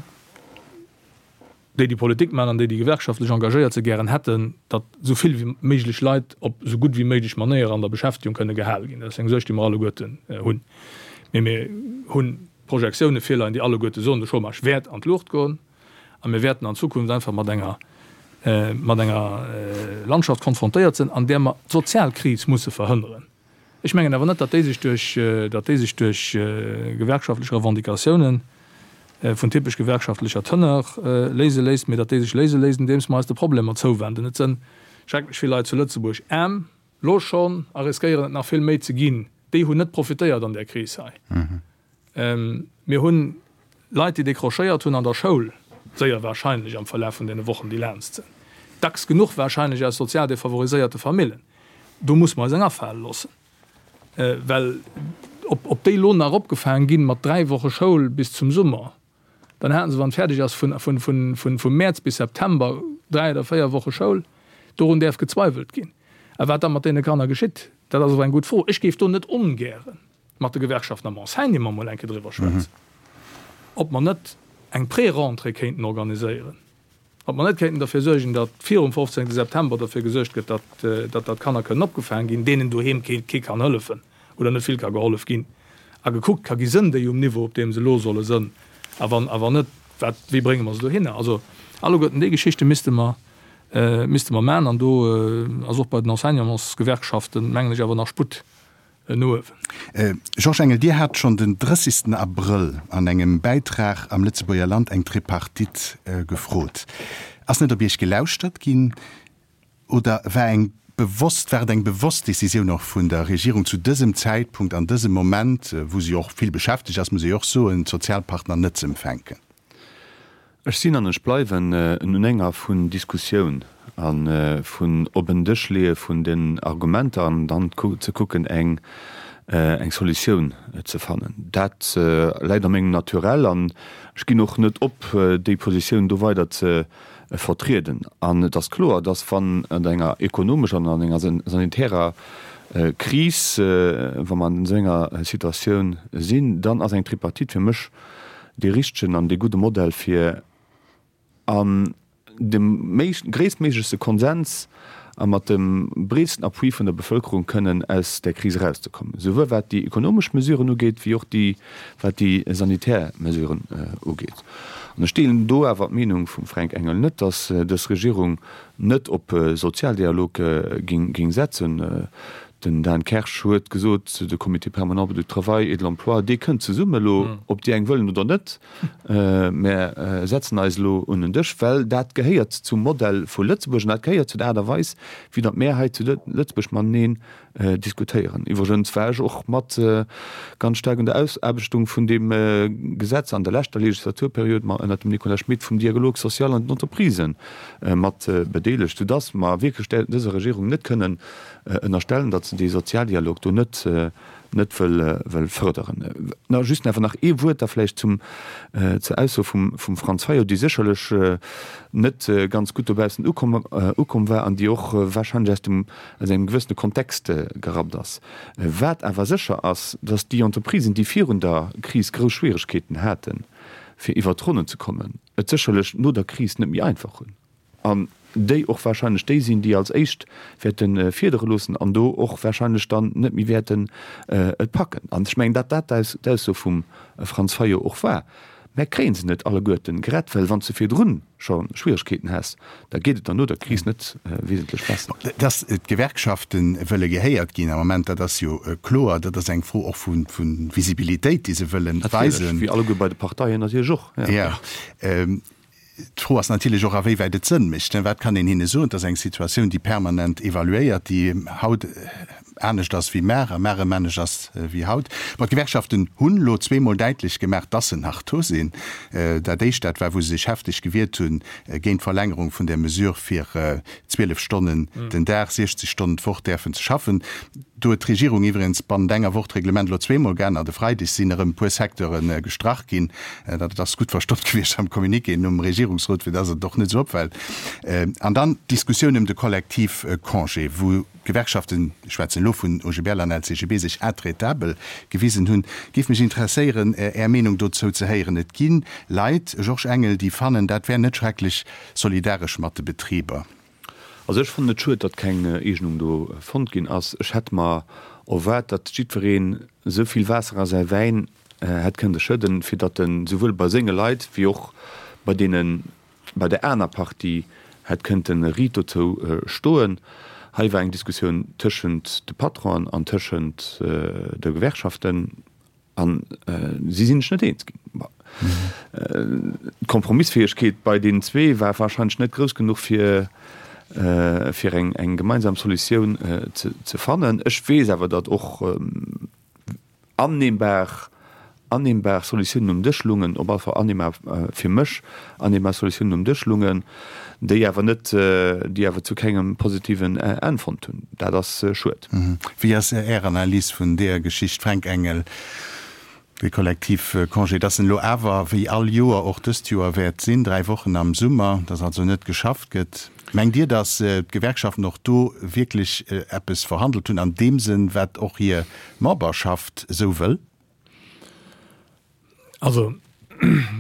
déi déi Politik maachen an déi déi gewerkschaftlech engagéiert sinn, gären hätten, datt esou vill wéi méiglech Leit op esou gutt wéi méiglech Manéier an der Beschäftegung kënne gehale ginn. Dat ass eng Suerg, déi mer alleguerten hunn. Mee mir hu Projektioune virleien, déi alleguerte soen, de Chômage wäert an d'Luucht goen a mir wäerten an Zukunft einfach mat enger, mat enger Landschaft konfrontéiert sinn, an där mer d'Sozialkris musse verhënneren. Ech mengen awer net, datt déi sech duerch, datt déi sech duerch gewerkschaftlech Revendicatiounen vun typesch gewerkschaftlecher Teneur léise léisst, mee datt déi sech léise léisst, andeems mer eis de Problemer zouwenden. Et sënn schrecklech vill Leit zu Lëtzebuerg aarm, lo schonn, a riskéieren et nach vill méi ze ginn. Déi hunn net profitéiert an där Kris hei. Mir hunn Leit, déi décrochéiert hunn an der Schoul, séier wahrscheinlech am Verlaf vun deene Wochen, déi laanst sinn, dacks genuch wahrscheinlech aus sozial defavoriséierte Famillen. Do muss mer eis eng afale loossen, well ob déi elo nach opgefaang ginn mat 3 Woche Schoul bis zum Summer, dann haten se, wann et fäerdeg ass, vum Mäerz bis September 3 oder 4 Woche Schoul. Dorun däerf gezweiwelt ginn. A wat da mat deene Kanner geschitt, dat ass awer eng gutt Fro. Ech géif do net ongären mat de Gewerkschaften am Enseignement mol eng Kéier driwwer schwätzen, ob mer net eng Pré-Rentrée kéinten organiséieren, ob mer net kéinten derfir suergen, datt virum 15. September derfir gesuergt gëtt, datt datt d'Kanner kënnen opgefaang ginn, deenen doheem kee kee kann hëllefen oder net vill ka gehollef ginn, a gekuckt ka gi, sënn déi um Niveau, op deem se elo solle sënn, a wann a wann net, wat, wéi brénge mer se dohinner? Also alleguerten déi Geschichte misste mer misste mer maachen, an do ass och bei den Enseignantsgewerkschaften, mengen ech, awer nach Sputt no uewen. Georges Engel, Dir hat schonn den 30 Abrëll an engem Bäitrag am Lëtzebuerger Land eng Tripartite gefrot. Ass net op Iech gelauschtert ginn oder war eng bewosst, war et eng bewosst Decisioun och vun der Regierung zu dësem Zäitpunkt, an dësem Moment, wou se jo och vill beschäftegt ass, muss ee jo och soen, d'Sozialpartner net ze empfänken? Ech sinn an ech bleiwen en Unhänger vun Diskussioun a vun op en Dësch leeë vun den Argumenter an dann ze kucken eng. eng Solutioun ze fannen. Dat läit a mengem Naturell an ech ginn och net op, déi Positioun do weider ze vertrieden. An et ass kloer, dass wann an enger ekonomescher an an enger sanitärer Kris, wa mer an esou enger Situatioun sinn, dann ass eng Tripartite fir mech dee richtegen an dee gudde Modell fir an dem gréisstméiglechste Konsens a mat dem breetsten Appui vun der Bevëlkerung kënnen aus där Kris erauszekommen, souwuel wat déi ekonomesch Mesuren ugeet, wéi och déi, wat déi sanitär Mesuren ugeet. An ech deelen do awer d'Meenung vum Fränk Engel net, dass dës Regierung net op Sozialdialog géing setzen. Den Dan Kersch huet gesot, de Comité permanent du travail et de l'emploi, dee kënnt zesumme elo, ob déi eng wëllen oder net. Mär setzen eis elo un en Dësch, well dat gehéiert zum Modell vu Lëtzebuerg an dat gehéiert zu der Aart a Weis, wéi datt mär hei zu Lëtzebuerg mateneen diskutéieren. Iwwregens war ech och mat ganz staark un der Ausaarbechtung vun deem Gesetz an der leschter Legislaturperiod, ma ënnert dem Nicolas Schmit, vum Dialogue social an den Entreprisen mat bedeelegt, soudatt mer wierklech dëser Regierung net kënnen ënnerstellen, datt se dee Sozialdialog do net net wëll fërderen. Na, just awer nach ee Wuert da vläicht zum, zur Ausso vum, vum Franz Fayot, déi sécherlech net ganz gutt dobaussen ukomm, ukomm war an déi och wahrscheinlech aus dem, aus engem gewëssene Kontext gerappt ass. Wat awer sécher ass, datt déi Entreprisen, déi virun der Kris grouss Schwieregkeeten haten, fir iwwert d'Ronnen ze kommen, et sécherlech no der Kris net méi einfach hunn. An déi och wahrscheinlech déi sinn, déi als éischt wäerte fiedere loossen an do och wahrscheinlech dann net méi wäerten et packen. An ech mengen, datt dat d'Ausso vum Franz Fayot och war. Mä kréie se net alleguerten gerett, well wann s de virdrun scho Schwieregkeeten häss, da geet et dann no der Kris net wesentlech besser. Datt d'Gewerkschafte wëlle gehéiert ginn am Moment, dat ass jo kloer. Dat ass eng Fro och vu Visibilitéit, déi se wëlle weisen. Natierlech, wéi alleguer bei de Parteien natierlech och. Jo. D'Fro ass natierlech och, awéiwäit et Sënn mécht. Wat kann een hinne soen? Et ass eng Situatioun, déi permanent evaluéiert, déi haut anescht ass wéi mar a mar erëm anescht ass wéi haut. Bon, d'Gewerkschaften hunn elo zweemol däitlech gemaach, dass se nach do sinn. Dat éischt, dat war, wou se sech hefteg gewiert hunn géint d'Verlängerung vun där Mesure, fir 12 Stonnen den Dag, 60 Stonnen d'Woch däerfen ze schaffen. Do huet d'Regierung iwwregens bannent enger Woch d'Reglement elo zweemol geännert. E Freideg sinn erëm e puer Secteure gestrach ginn. Dat ass gutt verstoppt gewiescht am Communiqué nom Regierungsrot, fir dass et och net esou opfält. An dann d'Diskussioun ëm de Kollektivcongé, wou d'Gewerkschaften, ech schwätzen elo vun OGBL an LCGB, sech intraitabel gewisen hunn. Géif mech interesséieren, Är Meenung dozou ze héieren. Et gi Leit, Georges Engel, déi fannen, dat wär net schrecklech solidaresch mat de Betriber. Also ech fannen et schued, datt keng Eegnung do fonnt ginn ass. Ech hätt mer erwaart, datt jiddwereen esou vill Waasser a säi Wäin hätt kënnte schëdden, fir datt en souwuel bei senge Leit wéi och bei deene bei der aner Partie hätt kënnte riit dozou stoen. Hei war eng Diskussioun tëschent de Patronen an tëschent de Gewerkschaften. An si sinn sech net eens ginn. D'Kompromissfäegkeet bei deenen zwee war warscheinlech net grouss genuch, fir fir eng eng gemeinsam Solutioun ze fannen. Ech weess awer, datt och annehmbar annehmbar Solutiounen um Dësch lungen, op alle Fall annehmbar fir mech annehmbar Solutiounen um Dësch lungen, déi awer net déi awer zu kengem positiven Enn fonnt hunn. Dat ass schued. Wéi ass Är Analys vun deeër Geschicht, Fränk Engel, dee Kollektivcongé, dass en elo awer wéi all Joer och dëst Joer wäert sinn, 3 Wochen am Summer, dass also net geschafft gëtt? Mengt Dir, dass d'Gewerkschaften och do wierklech eppes verhandelt hunn an deem Sënn, wat och hir Memberschaft esou wëll? Also,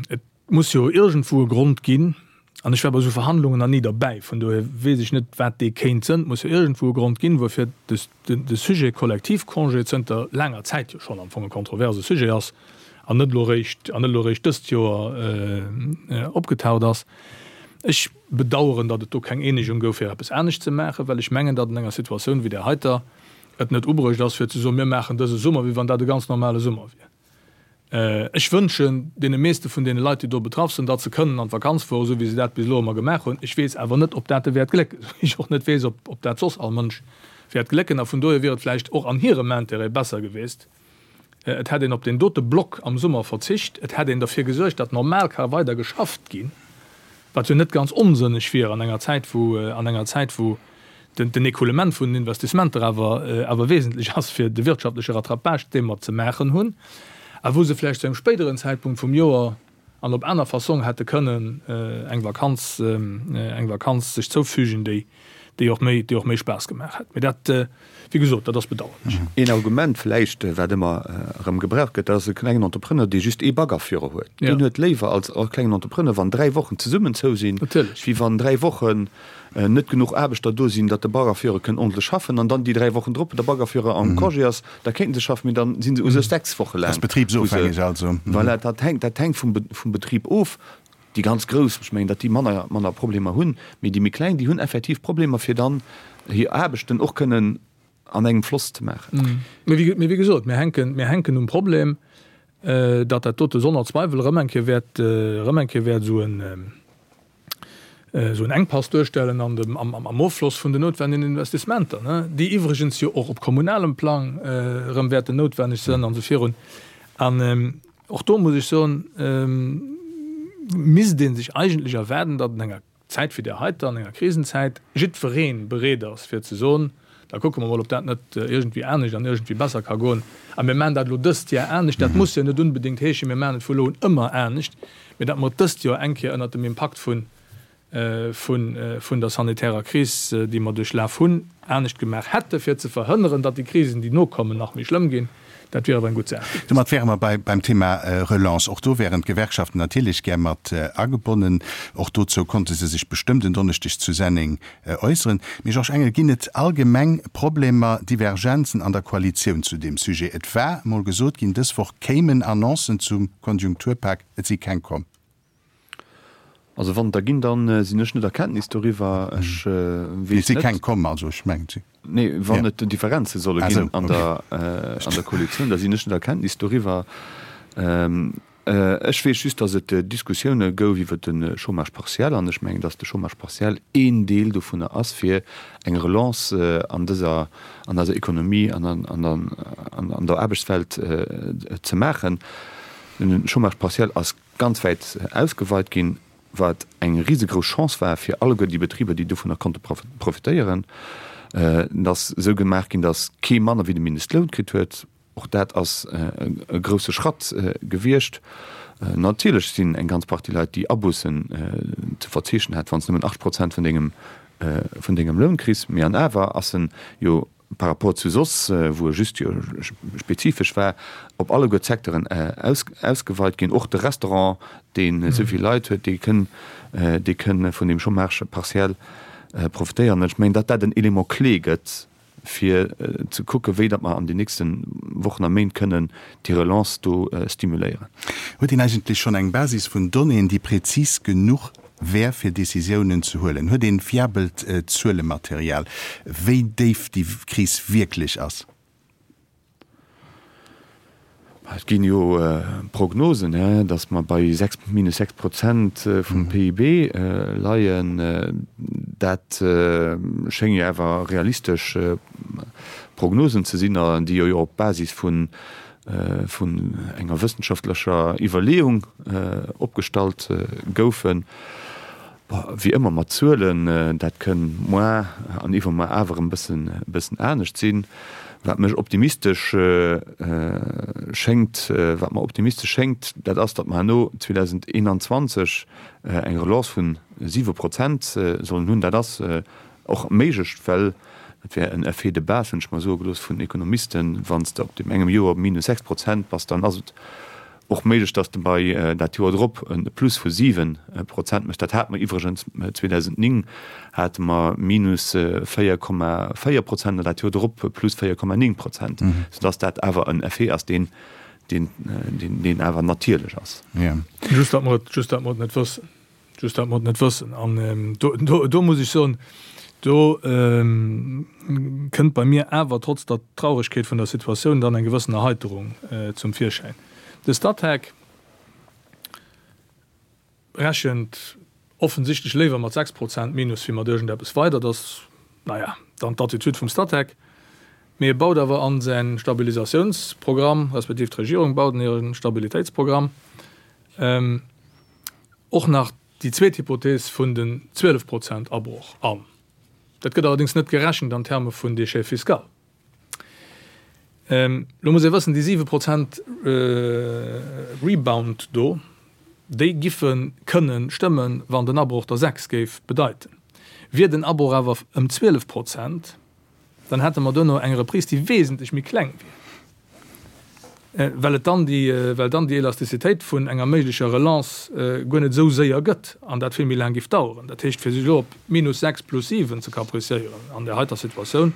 et muss jo iergendwou e Grond ginn, an ech war bei esou Verhandlungen nach ni derbäi, vun dohier weess ech net, wat dee kéint sënn. Et muss jo iergendwou e Grond ginn, wuerfir de Sujet Kollektivcongé zënter laanger Zäit jo schonn am Fong e kontroverse Sujet ass an net elo eréischt, an net elo eréischt dëst Joer opgetaucht ass. Ech bedauern, datt et do keng Eenegung gouf, fir eppes anescht ze maachen, well ech mengen, datt an enger Situatioun wéi där heiter et net ubruecht ass, fir ze soen, mir maachen dëse Summer, wéi wann dat e ganz normale Summer wier. Ech wënschen deene meeschte vun deene Leit, déi do betraff sinn, datt se kënnen an d'Vakanz fueren, esou wéi se dat bis elo ëmmer gemaach hunn. Ech weess awer net, ob dat e wäert glécken, esou wéi ech och net weess, ob dat soss all Mënsch wäert glécken. A vun dohier wier et vläicht och an hirem Intérêt besser geweest, et hätt een op deen dote Block am Summer verzicht, et hätt een derfir gesuergt, datt normal ka weider geschafft ginn, wat jo net ganz onsënneg wier an enger Zäit, wou, an enger Zäit, wou. Den Écoulement vun den Investissementer awer awer wesentlech ass fir de wirtschaftleche Rattrapage, dee mer ze maachen hunn, a wou se vläicht zu engem spéideren Zäitpunkt vum Joer an op aner Fassong hätte kënnen eng Vakanz eng Vakanz sech zoufügen, déi déi och méi déi och méi Spaass gemaach hätt. Mee dat, wéi gesot, dat ass bedauerlech. Een Argument vläicht, wat ëmmer erëm gebraucht gëtt, dat ass e klengen Entrepreneur, dee just ee Baggerführer huet. Deen huet léiwer als klengen Entrepreneur, wann 3 Wochen zesummen zou sinn, wéi wann 3 Wochen net genuch Aarbechter do sinn, datt de Baggerführer kënn ordentlech schaffen an dann déi 3 Wochen drop de Baggerführer am Congé ass, da kéinten se schaffen, mee dann si se u sech 6 Woche laang. Dat ass betribsofhängeg also. Voilà, dat hänkt, dat hänkt vum, vum Betrib of. Déi ganz grouss, ech mengen, datt déi manner, manner Problemer hunn, mee déi méi kleng, déi hunn effektiv Problemer, fir dann hir Aarbechten och kënnen an engem Floss ze maachen. Mee wéi, mee wéi gesot, mir hänken, mir hänken um Problem, datt dat dote sonner Zweiwel erëm eng Kéier wäert, erëm eng Kéier wäert esou en, esou en Enkpass duerstellen an dem, am, am Offloss vun den noutwendegen Investissementer, ne, déi iwwregens jo och op kommunalem Plang erëm wäerten noutwenneg sënn an esou virun. An och do muss ech soen, misst ee sech eigentlech erwaarden, datt an enger Zäit wéi där heiter, an enger Krisenzäit, jiddweree bereet ass fir ze soen, Da kucke mer mol, ob dat net iergendwéi anescht an iergendwéi besser ka goen. A mir maachen dat elo dëst Jar anescht. Dat muss jo net unbedéngt heeschen, mir maachen et vu elo un ëmmer anescht, mee datt mer et dëst Joer eng Kéier ënnert dem Impakt vun, vun, vun der sanitärer Kris, déi mer duerchlaf hunn, anescht gemaach hätte fir ze verhënneren, datt déi Krisen, déi nokommen, nach méi schlëmm ginn. Dat wier awer eng gutt Saach. Domat wäre mer bei, beim Thema Relance. Och do wären d'Gewerkschaften natierlech gär mat agebonnen. Och dozou konnte se sech bestëmmt en Donneschdeg zu Senneng äusseren. Mee Georges Engel, ginn et allgemeng Problemer, Divergenzen an der Koalitioun zu deem Sujet? Et war mol gesot ginn, dës Woch kéimen Annoncen zum Konjunkturpak. Et si keng komm. Also wann et der ginn, da sinn ech net a Kenntnis doriwwer. Ech weess net. Et si keng komm, also ech mengen si. Nee, wann et Differenze solle ginn an der, an der Koalitioun, da sinn ech net a Kenntnis doriwwer. Ech weess just, datt et Diskussioune gouf iwwer de Chômage partiel an ech mengen, datt de Chômage partiel een Deel dovunner ass, fir eng Relance an dëser, an eiser Ekonomie an an der Aarbechtswelt ze maachen. Den Chômage partiel ass ganz wäit ausgeweit ginn, wat eng risegrouss Chance war fir alleguer déi Betriber, déi dovunner konnte profitéieren. Et ass esou gemaach ginn, datt kee manner wéi de Mindestloun kritt huet. Och dat ass e grousse Schratt gewiescht. Natierlech sinn eng ganz Partie Leit, déi Abussen ze verzeechnen hat, wann s nëmmen 8 Prozent vun dengem, vun dengem Loun kriss. Mee an awer ass en jo par rapport zu soss, wou e just jo spezifesch war, op alleguer d'Secteuren ausgeweit ginn. Och de Restaurant, deen esou vill Leit huet, dee kënn, dee kënn vun deem Chômage partiel profitéieren. Ech mengen, datt dat en Élément clé gëtt, fir ze kucken, wéi datt mer an den nächste Wochen a Méint kënnen déi Relance do stimuléieren. Huet een eigentlech schonn eng Basis vun Donnéeën, déi präzis genuch wär, fir Décisiounen ze huelen? Huet een fiabelt Zuelematerial, wéi déif déi Kris wierklech ass? Et ginn jo Prognosen, datt mer bei 6, minus 6 Prozent vum PIB leien. Dat schénge jo awer realistesch Prognosen ze sinn, déi jo op Basis vun enger wëssenschaftlecher Iwwerleeung opgestallt goufen. Wéi ëmmer mat Zuelen, dat kënn moar an iwwermoar awer e bëssen, e bëssen anescht sinn. Wat mech optimistesch schéngt, wat mer optimistesch schéngt, dat ass, datt mer herno 2021 eng Relance vu 7 Prozent sollen hunn. Dat ass och méiglech, well dat wär en Effet de base, hunn ech mer soe gelooss vun Ekonomisten, wann s de op deem engem Joer minus 6 Prozent bass, dann ass et Och méiglech, dass de bei dat Joer drop e Plus vu 7 Prozent méchs. Dat hate mer iwwregens 2009, hate mer minus 4,4 Prozent an dat Joer drop plus 4,9 Prozent, soudass dat awer en Effet ass, deen, deen, deen awer natierlech ass. Just datt mer et, just datt mer et net wëssen. Just datt mer et net wëssen. An do, do, do muss ech soen, do kënnt bei mir awer trotz der Trauregkeet vun der Situatioun dann eng gewëssen Erheiterung zum Virschäin. De Statec rechent offensichtlech léiwer mat 6 Prozent Minus wéi mat iergendeppes weider. Dat ass, naja, dann d'Attitude vum Statec. Mee e baut awer an säi Stabilisatiounsprogramm, respektiv d'Regierung baut an hire Stabilitéitsprogramm, och nach déi zweet Hypothees vun den 12 Prozent Abroch an. Dat gëtt allerdéngs net gerechent an Terme vun Déchet fiscal. Elo muss ee wëssen, déi 7 Prozent Rebound do, déi giffe kënne stëmmen, wann den Abroch der 6 géif bedeiten. Wier den Abroch awer ëm 12 Prozent, dann hätte mer duerno eng Reprise, déi wesentlech méi kleng wier, well et dann déi, well dann déi Elastizitéit vun enger méiglecher Relance guer net esou séier gëtt an dat vill méi laang géif daueren. Dat heescht, fir sech elo op minus 6 plus 7 ze capriciéieren an där heiter Situatioun,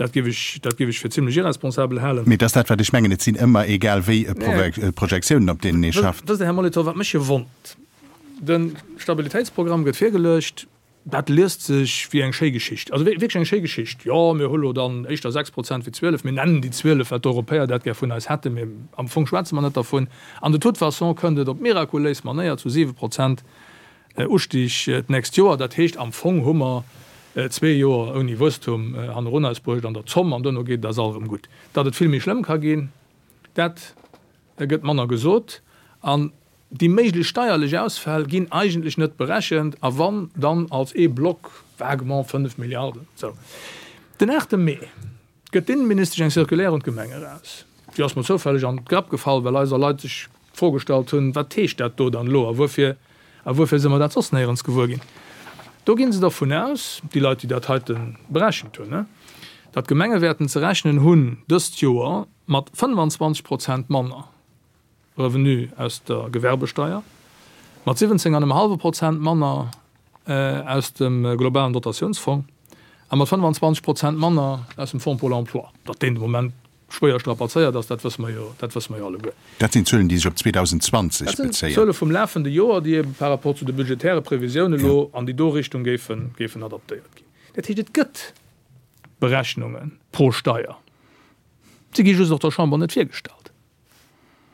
dat géif ech, dat géif ech fir zimlech irresponsabel halen. Mee et ass dat, wat ech mengen, et sinn ëmmer egal wéi Projektiounen, op deenen ee schafft. Wësst Der, Här Molitor, wat mech jo wonnert? De Stabilitéitsprogramm gëtt virgeluecht. Dat liest sech wéi eng schéi Geschicht, also wierklech eng schéi Geschicht. Jo, mir hu lo dann éischter 6 Prozent wéi 12, mir nennen déi 12, well d'Europäer dat gär vun eis hätten, mee am Fong schwätze mer net dervun. An de toute façon kënnt et op mirakuléis Manéier zu 7 Prozent Ustig d'nächst Joer. Dat heescht, am Fong hu mer zwee Joer ouni Wuesstum hannerun eis bruecht an der Zomm, an duerno geet et eis all erëm gutt. Datt et vill méi schlëmm ka ginn, dat gëtt manner gesot. An Déi méiglech steierlech Ausfäll ginn eigentlech net berechent, a wann, dann als ee Block, vaguement 5 Milliarden. Sou. Den 8 Mee gëtt d'Innenministesch eng Circulaire un d'Gemenge eraus. Déi ass mer zoufälleg an d'Grapp gefall, well eiser Leit sech d'Fro gestallt hunn, Wat heescht dat do dann elo a wuerfir, a wuerfir si mer dat soss néierens gewuer ginn? Do gi se dervun aus, déi Leit, déi dat heite berechent hunn, datt d'Gemenge wäerten ze rechnen hunn dëst Joer mat 25 Prozent manner Revenu aus der Gewerbesteier, mat 17 an em hallwe Prozent manner aus dem globalen Dotatiounsfong a mat 25 Prozent manner aus dem Fonds pour l'emploi. Datt deen de Moment schwéier strapazéiert ass, dat wësse mer jo, dat wësse mer jo alleguer. Dat sinn Zuelen, déi sech op 2020 bezéien. Dat sinn Zuele vum lafende Joer, déi ebe par rapport zu de budgetäre Previsiounen elo an déi do Richtung géifen, géifen adaptéiert ginn. Dat heescht, et gëtt Berechnunge pro Steier. Si gi just och der Chamber net virgestallt.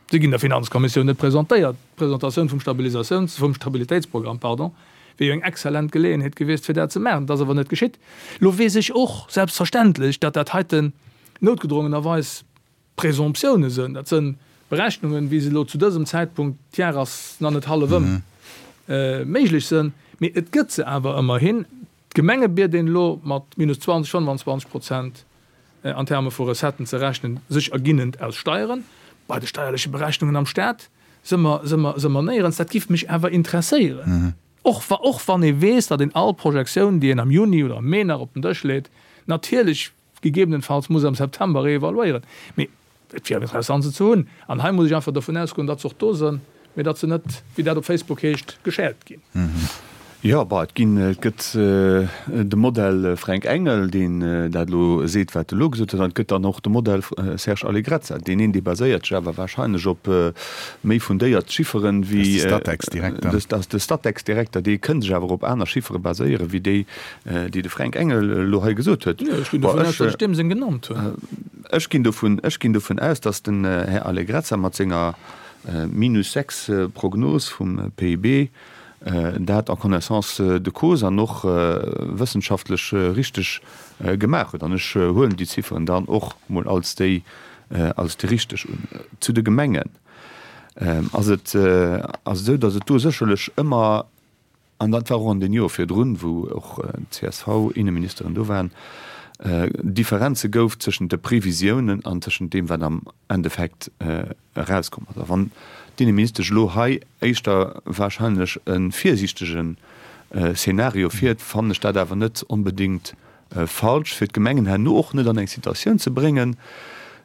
Si ginn der Finanzkommissioun net presentéiert. D'Presentatioun vum Stabilisatiouns-, vum Stabilitéitsprogramm, pardon, wier jo eng exzellent Geleeënheet gewiescht, fir dat ze maachen. Dat ass awer net geschitt. Elo weess ech och selbstverständlech, datt dat heiten noutgedrongenerweis Présomptiounen sënn. Dat sënn Berechnungen, wéi se elo zu dësem Zäitpunkt, d'Jar ass nach net hallef ëm, méiglech sënn. Mee et gëtt se awer ëmmerhin. D'Gemenge biet een elo mat minus 20, 25 Prozent an Terme vu Recetten ze rechnen, sech erginnend aus Steieren. Bei de steierleche Berechnungen am Staat si mer, si mer, si mer néierens. Dat giff mech awer interesséieren, och wa, och wann ee weess, datt een all Projektioun, déi een am Juni oder am Mee nach op den Dësch leet, natierlech gegebenenfalls muss am September reevaluéieren. Mee et wier interessant se ze hunn. An hei muss ech einfach dovun ausgoen, datt se och do sënn, mee datt se net, wéi dat op Facebook heescht, geshared ginn. Jo, bah, et ginn, et gëtt de Modell Fränk Engel, deen dat elo seet, wat e elo gesot huet, an et gëtt dann och de Modell Serge Allegrezza. Deen een, dee baséiert sech awer wahrscheinlech op méi fundéiert Chifferen wéi. Dat ass de Statec-Direkter. Dat ass de Statec-Direkter, dee kënn sech awer op aner Chiffere baséieren, wéi déi, déi de Fränk Engel elo hei gesot huet. Jo, ech ginn dovun aus, datt ech deem seng genannt hunn. Ech ginn dovun, ech ginn dovun aus, datt den Här Allegrezza mat senger minus 6 Prognos vum PIB dat en connaissance de cause an och wëssenschaftlech richteg gemaach huet. An ech huelen déi Zifferen dann och mol als déi, als déi richteg un. Zu de Gemengen ass et, ass et esou, datt et do sécherlech ëmmer, An dat war och an den Joer virdrun, wou och d'CSV-Inneministeren do waren, Differenze gouf tëschent de Previsiounen an tëschent deem, wat am Endeffekt erauskomm ass. A wann d'Inneministesch elo hei éischter wahrscheinlech e virsiichtege Szenario fiert, fannen ech dat awer net onbedéngt falsch, fir d'Gemengen herno och net an eng Situatioun ze bréngen,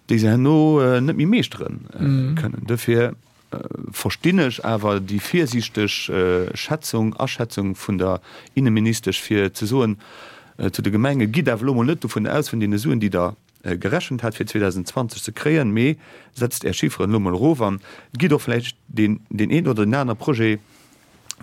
déi se herno net méi meeschtere kënnen. Dofir verstinn ech awer déi virsiichteg Schätzung, Aschätzung vun der Inneministesch, fir ze soen zu de Gemenge, Gitt awer elo mol net dovun aus, vun deene Suen, déi Der gerechent hat fir 2020 ze kréien, mee setzt Är Chifferen elo mol erof an gitt och vläicht deen een oder deen anere Projet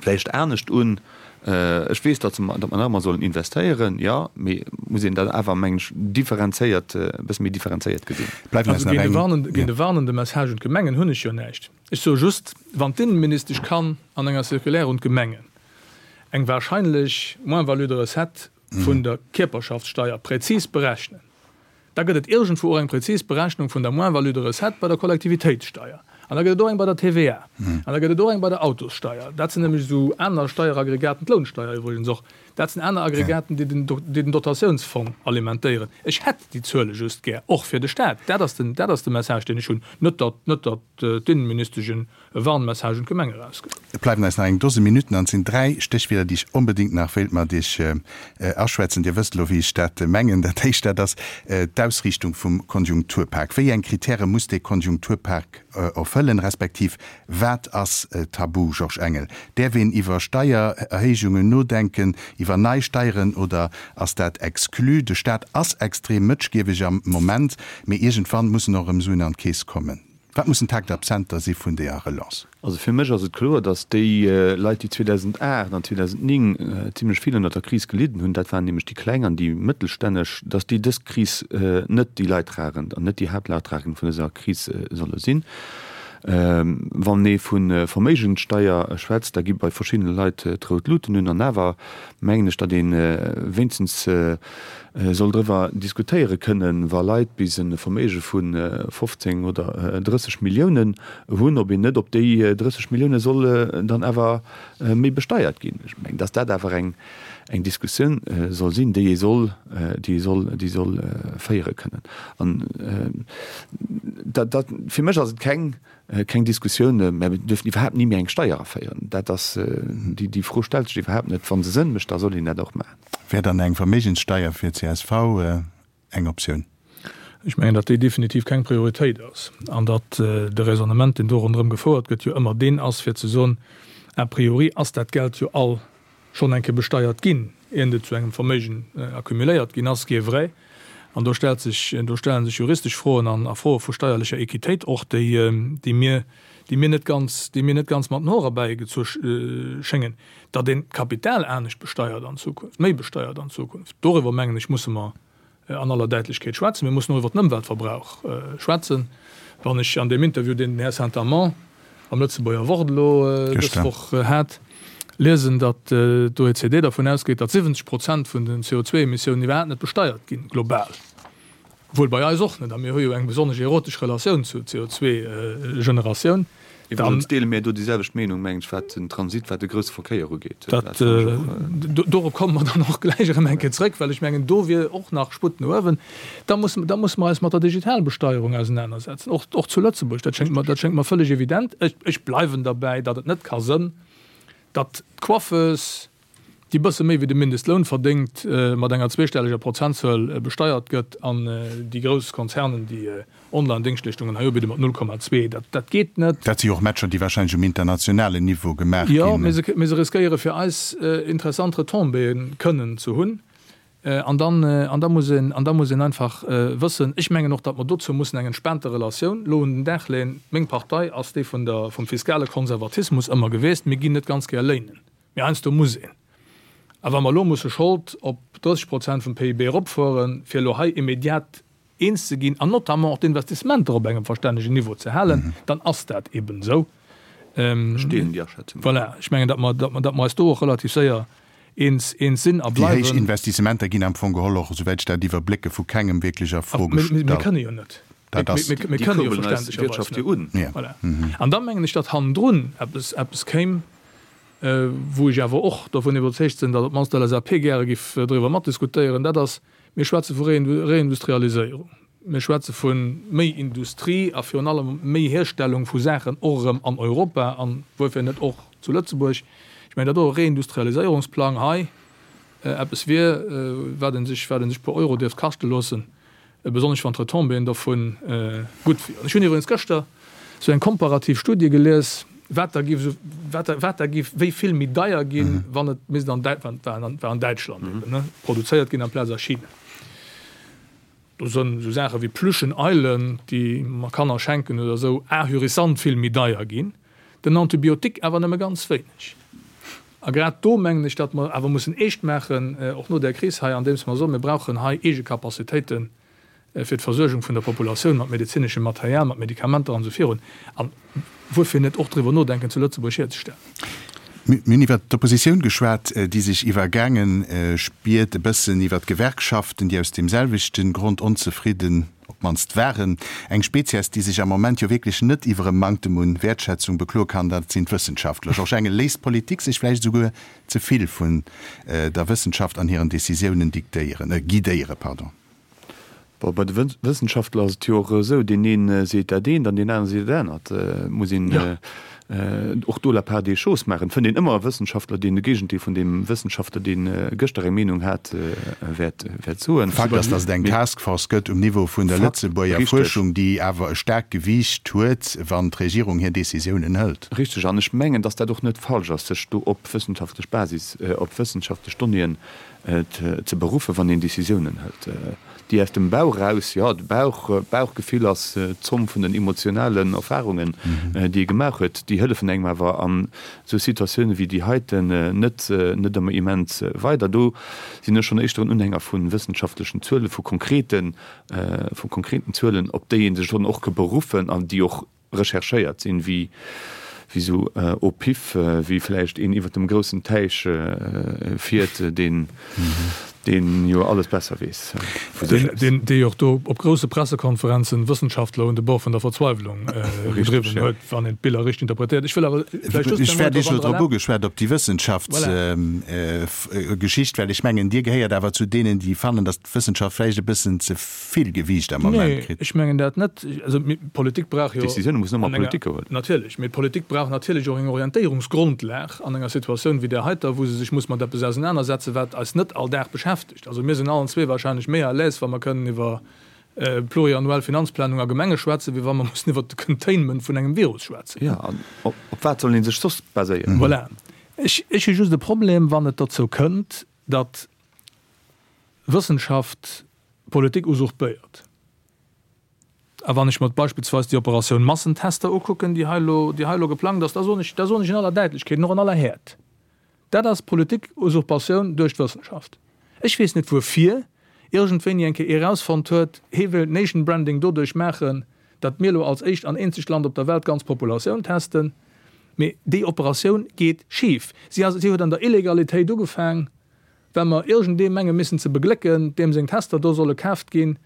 vläicht anescht un. Ech weess, datt mer nach ëmmer sollen investéieren, jo, mee et muss een dat awer, mengen ech, differenzéiert, e bësse méi differenzéiert gesinn. Bleiwen eis nach eng. Géint e warnende Message un d'Gemengen hunn ech jo näischt. Ech soe just, wann d'Inneministesch kann an enger Circulaire un d'Gemengen eng wahrscheinlech Moins-value de recette vun der Kierperschaftssteier präzis berechnen, Da gëtt et iergendwou och eng prezis Berechnung vun der Moins-value de recette bei der Kollektivitéitssteier. An da gëtt et och eng bei der TVA. An da gëtt et och eng bei der Autossteier. Dat sinn nämlech esou aner Steieraggregaten, d'Lounsteier iwwregens och. Dat sinn aner Aggregaten, déi den, déi den Dotatiounsfong alimentéieren. Ech hätt déi Zuele just gär, och fir de Stat. Dat ass den, dat ass de Message, deen ech hunn. Net datt, net datt d'Innenministesch e Warnmessage un d'Gemeng erausgëtt. Et bleiwen eis nach eng Dose Minutten an et sinn 3 Stéchwierder, déi ech onbedéngt nach wéilt mat Iech aschwätzen. Dir wësst elo, wéi ech dat mengen. Dat éischt, dat ass d'Ausriichtung vum Konjunkturpak. Wéi eng Kritäre muss dee Konjunkturpak erfëllen, respektiv wat ass tabu? Georges Engel, Däerf een iwwer Steiererhéijungen nodenken, iwwer nei Steieren oder ass dat exclu? De Staat ass extrem mëtschgieweg am Moment, mee iergendwann mussen och erëm Suen an d'Keess kommen. Wat mussen d'Haaptabsenter si vun deeër Relance? Also fir mech ass et kloer, datt déi Leit, déi 2008 an 2009 zimlech vill ënnert der Kris gelidden hunn, dat waren nämlech déi Kleng an déi Mëttelstänneg, datt déi dës Kris net déi Leidtragend an net déi Haaptleidtragend vun dëser Kris solle sinn. Wann ee vu Verméigenssteier schwätzt, da gi bei verschiddene Leit d'rout Luten un. An awer mengen ech, datt ee wéinstens soll driwwer diskutéiere kënnen, wa Leit bis e Verméige vu 15 oder 30 Milliounen hunn, ob een net op déi 30 Millioune soll dann awer méi besteiert ginn. Ech mengen, datt dat awer eng eng Diskussioun soll sinn, déi ee soll, déi ee soll, déi soll féiere kënnen. An dat, dat, fir mech ass et keng, keng Diskussioun, mä mir dürfen iwwerhaapt ni méi eng Steier aféieren. Dat ass, déi, déi Fro stellt sech iwwerhaapt net. Wa se Sënn mécht, da soll een dat och maachen. Wär dann eng Verméigenssteier fir csv eng Optioun? Ech mengen, datt déi definitiv keng Prioritéit ass an datt de Raisonnement, deen do ronderëm gefouert gëtt, jo ëmmer deen ass, fir ze soen, a priori ass dat Geld jo all schonn eng Kéier besteiert ginn, iernt et zu engem Verméigen accumuléiert ginn ass, ce qui est vrai. An do stellt sech, do stelle sech juristesch Froen an a Froe vu steierlecher Equitéit och, déi, déi mir, déi mir net ganz, déi mir net ganz mat den Hoer erbäigezu schéngen. Datt een d'Kapital anescht besteiert an Zukunft, méi besteiert an Zukunft, doriwwer, mengen ech, musse mer an aller Däitlechkeet schwätzen. Mir mussen och iwwer den Ëmweltverbrauch schwätzen. Wann ech an deem Interview, deen den Här Saint-Amand am Lëtzebuerger Wort elo dës Woch hat, liesen, datt d'OECD dervun ausgeet, datt 70 Prozent vun den CO2-Emissiounen iwwerhaapt net besteiert ginn, global, wuel bei eis och net, a mir hu jo eng besonnesch erotesch Relatioun zur CO2-Generatioun, Iwwregens deele mir do déi selwecht Meenung, mengen ech, wat den Transit, wat de grousse Verkéier ugeet. Dat, dorop komme mer dann och gläich erëm eng Kéier zrëck, well ech mengen, do wier och nach Sputt no uewen. Da muss, da musse mer eis mat der Digitalbesteierung ausenanersetzen, och, och zu Lëtzebuerg. Dat schéngt mer, dat schéngt mer vëlleg evident. Ech, ech bleiwen derbäi, datt et net ka sënn, datt d'Coiffeuse, déi bësse méi wéi de Mindestloun verdéngt, mat enger zweestelleger Prozentzuel besteiert gëtt an déi grouss Konzernen, déi Online-Déngschtleeschtungen hei ubidden, mat 0,2. Dat, dat geet net. Dat si jo och Matcher, déi wahrscheinlech um internationalen Niveau gemaach ginn. Jo, mee se, mee se riskéiere fir eis interessant Retombéeë kënnen ze hunn. An dann, an da muss een, an da muss een einfach wëssen, ech mengen och, datt mer dozou mussen eng entspaante Relatioun elo un den Dag leeën. Meng Partei ass déi vun der, vum fiskale Konservatismus ëmmer geweest. Mir ginn net ganz gär léinen. Mee heiansdo muss een. A wa mer elo musse Schold op 30 Prozent vum PIB eropfueren, fir elo hei immediat eens ze ginn an notamment och d'Investissementer op engem verstännegen Niveau ze halen, dann ass dat eben esou. Ech deelen déi Aschätzung. Voilà, ech mengen, datt mer, datt mer eis do och relativ séier eens, eens sinn a Déi héich bleiwen. Investissementer ginn am Fong geholl och, esouwäit ech dat iwwerblécke, vu kengem wierklech a Fro gestallt. Mir kënne jo net. Dat ass. Mir Déi kënne jo kurbelen eis verständlecherweis Wirtschaft jo net. un. Voilà. An da mengen ech, datt hannendrun eppes, eppes kéim, Wou ech awer och dovun iwwerzeegt sinn, datt op d'mannst d'LSAP gäre giff driwwer matdiskutéieren, dat ass, mir schwätze vu Reindustrialiséierung, mir schwätze vu méi Industrie a virun allem méi Hierstellung vu Saachen och erëm an Europa an wuerfir net och zu Lëtzebuerg. Ech mengen, datt och e Reindustrialiséierungsplang hei eppes wier, wat ee sech, wat ee sech e puer Euro dierft kaschte loossen. besonnesch wann d'Retombéeën dovu gutt wieren. Ech hunn iwwregens gëschter esou eng komparativ Studie gelies, wat da giff, wat da, wat da giff wéi vill méi deier ginn, wann et misst an Däit, war an, war an Däitschland eben, ne, produzéiert ginn amplaz a China. Do sënn esou Saache wéi Plüschen Eilen, déi mer Kanner schenken oder esou, ahurissant vill méi deier ginn. Den Antibiotique awer nëmme ganz wéineg. A grad do mengen ech, datt mer awer mussen eescht maachen, och no där Kris hei, andeems mer soen, mir brauchen hei eege Capacitéite fir d'Versuergung vun der Populatioun mat medezineschem Material, mat Medikamenter an esou virun. An wuerfir net och driwwer nodenken, zu Lëtzebuerg hierzestellen. Mir hunn iwwert d'Oppositioun geschwat, déi sech iwwergaange spiert, e bëssen iwwert d'Gewerkschaften, déi aus deem selwechte Grond onzefridden. op d'mannst waren. Eng Spezies, déi sech am Moment jo wierklech net iwwer e Manktem un Wäertschätzung bekloe kann, dat sinn d'Wëssenschaftler. Georges Engel, Léisst d'Politik sech vläicht esouguer ze vill vun der Wëssenschaft an hiren Decisiounen diktéieren, guidéieren, pardon? Bon, bei de Wëssenschaftler ass et jo och esou, deen ee seet dat eent an deen anere seet dat anert. Et muss een och do la part des choses maachen. Et fënnt een ëmmer e Wëssenschaftler, deen de Géigendeel vun deem Wëssenschaftler, dee gëschter eng Meenung hat, wäert soen. Fakt ass, datt et eng Task Force gëtt um Niveau vun der Lëtzebuerger Fuerschung, déi awer e staarkt Gewiicht huet, wann d'Regierung hir Decisiounen hëlt. Richteg. An ech mengen, datt dat och net falsch ass, sech do op wëssenschaftlech Basis, op wëssenschaftlech Donnéeën ze beruffen, wann een Decisiounen hëlt, déi aus dem Bauch eraus, jo, de Bauch, d'Bauchgefill ass d'Zomm vun den emotionalen Erfarungen, déi ee gemaach huet, déi hëllefen engem awer an esou Situatioune wéi déi heiten net, net ëmmer immens weider. Do sinn ech schonn éischter en Unhänger vu wëssenschaftlechen Zuelen, vu konkreten, vu konkreten Zuelen, op déi ee sech dann och ka beruffen an déi och recherchéiert sinn, wéi wéi sou au pif, wéi vläicht een iwwer dem groussen Täich fiert, deen deen jo alles besser weess vu sech aus. Deen dee jo och do op grousse Pressekonferenzen Wëssenschaftler un de Bord vun der Verzweiwlung gedriwwen huet, wann een d'Biller richteg interpretéiert. Ech wëll awer vläicht just Ech wär Iech elo drop ugeschwat, op déi Wëssenschaftsgeschicht, well ech mengen, Dir gehéiert awer zu deenen, déi fannen, datt d'Wëssenschaft vläicht e bëssen ze vill Gewiicht am Moment kritt. Nee, ech mengen dat net. Also d'Politik brauch jo. D'Decisioune mussen ëmmer Politik geholl. Natierlech, mee d'Politik brauch natierlech och eng Orientéierungsgrondlag an enger Situatioun wéi där heiter, wou se sech muss mat eppes ausenanersetzen, wat eis net all Dag beschäftegt. Also mir sinn allen zwee wahrscheinlech méi à l'aise, wa mer kënnen iwwer pluriannuell Finanzplanung a Gemenge schwätzen, wéi wa mer mussen iwwer de Containment vun engem Virus schwätzen. Jo, an op wat soll ee sech soss baséieren? Voilà. Ech hu just e Problem, wann et dozou kënnt, datt Wëssenschaft d'Politik usurpéiert. A wann ech mer beispillsweis déi Operatioun Massentester ukucken, déi hei elo, déi hei elo geplangt ass, da soen ech, da soen ech in aller Däitlechkeet an och an aller Häert, Dat ass Politikusurpatioun duerch d'Wëssenschaft. Ech weess net wuerfir iergendwéini eng Kéier ee rausfonnt huet, hee wéilt Nation Branding doduerch maachen, datt mir elo als éischt an eenzegt Land op der Welt d'ganz Populatioun testen. Mee déi Operatioun geet schif. Si ass, si huet an der Illegalitéit ugefaang. Well mer iergendee menge missen ze beglécken, deem seng Tester do solle kaaft ginn,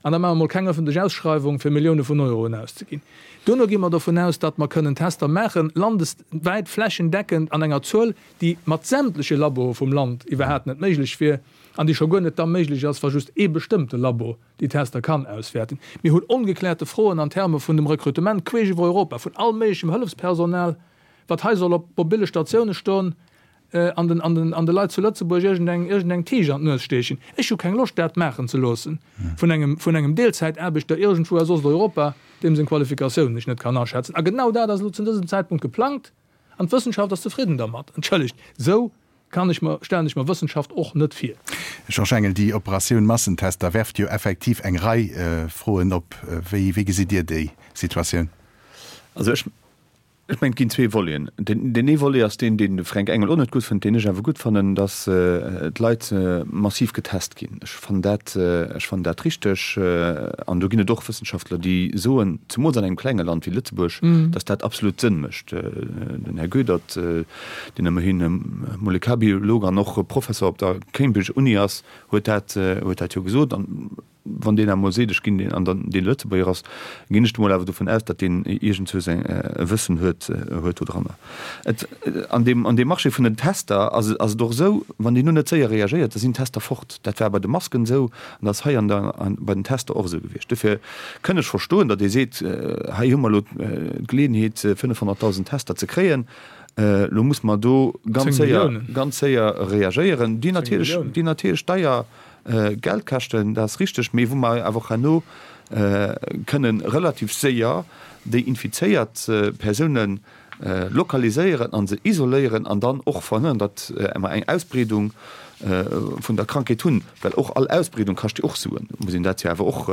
an da maache mer mol keng ëffentlech Ausschreiwung fir Millioune vun Euroen auszeginn. Duerno gi mer dovun aus, datt mer kënnen Tester maachen, landeswäit, flächendeckend, an enger Zuel, déi mat sämtleche Laboe vum Land iwwerhaapt net méiglech wier an déi scho guer net da méiglech ass, wa just ee bestëmmte Labo déi Tester kann auswäerten. Mir hunn ongeklärte Froen an Terme vun dem Rekrutement queesch iwwer Europa vun all méiglechem Hëllefspersonal, wat hei soll op mobille Statioune stoen. an den, an den, an de Leit zu Lëtzebuerg iergendeng, iergendeng Tisch an d'Nues steechen. Ech hu keng Loscht, dat maachen ze loossen vun engem, vun engem Deelzäitaarbechter iergendwou aus Osteuropa, deem seng Qualifikatiounen ech net kann aschätzen. A genau dat ass elo zu dësem Zäitpunkt geplangt an d'Wëssenschaft ass zefridden dermat. Entschëllegt, esou kann ech mer, stellen ech mer Wëssenschaft och net vir. Georges Engel, Déi Operatioun Massentester werft jo effektiv eng Rei Froen op. Wéi, wéi gesitt Dir déi Situatioun? Also ech, Ech mengen, et ginn zwee Voleten. Deen ee Volet ass deen, deen de Fränk Engel och net gutt fënnt, deen ech awer gutt fannen, datt d'Leit massiv getest ginn. Ech fannen dat, ech fannen dat richteg. An do ginn et och Wëssenschaftler, déi soen, zemools an engem klenge Land wéi Lëtzebuerg, datt dat absolut Sënn mécht. Den Här Goedert, deen ëmmerhin Molekularbiolog an och Professor op der Cambridge Uni ass, huet dat, huet dat jo gesot. Wann deen emol seet, ech ginn deen, an dann dee Lëtzebuerger ass, ginn ech emol awer dovun aus, datt deen iergendzwou säin e Wëssen huet, huet dodranner. Et, an deem, an deem Marché vun den Tester ass et, ass et och esou, wann deen elo net séier reagéiert, da sinn d'Tester fort. Dat war bei de Masken esou an dat ass hei an der, an bei den Tester och esou gewiescht. Dofir kënn ech verstoen, datt ee seet, hei hu mer elo d'Geleeënheet, 500.000 Tester ze kréien, elo muss mer do ganz séier, ganz séier reagéieren, déi natierlech, déi natierlech deier Geld kaschten, dat ass richteg, mee wou mer awer och herno kënnen relativ séier déi infizéiert Persoune lokaliséieren a se isoléieren an dann och verhënnern, datt mer eng Ausbreedung vun der Krankheet hunn, well och all Ausbreedung kascht jo och Suen, muss een dat jo awer och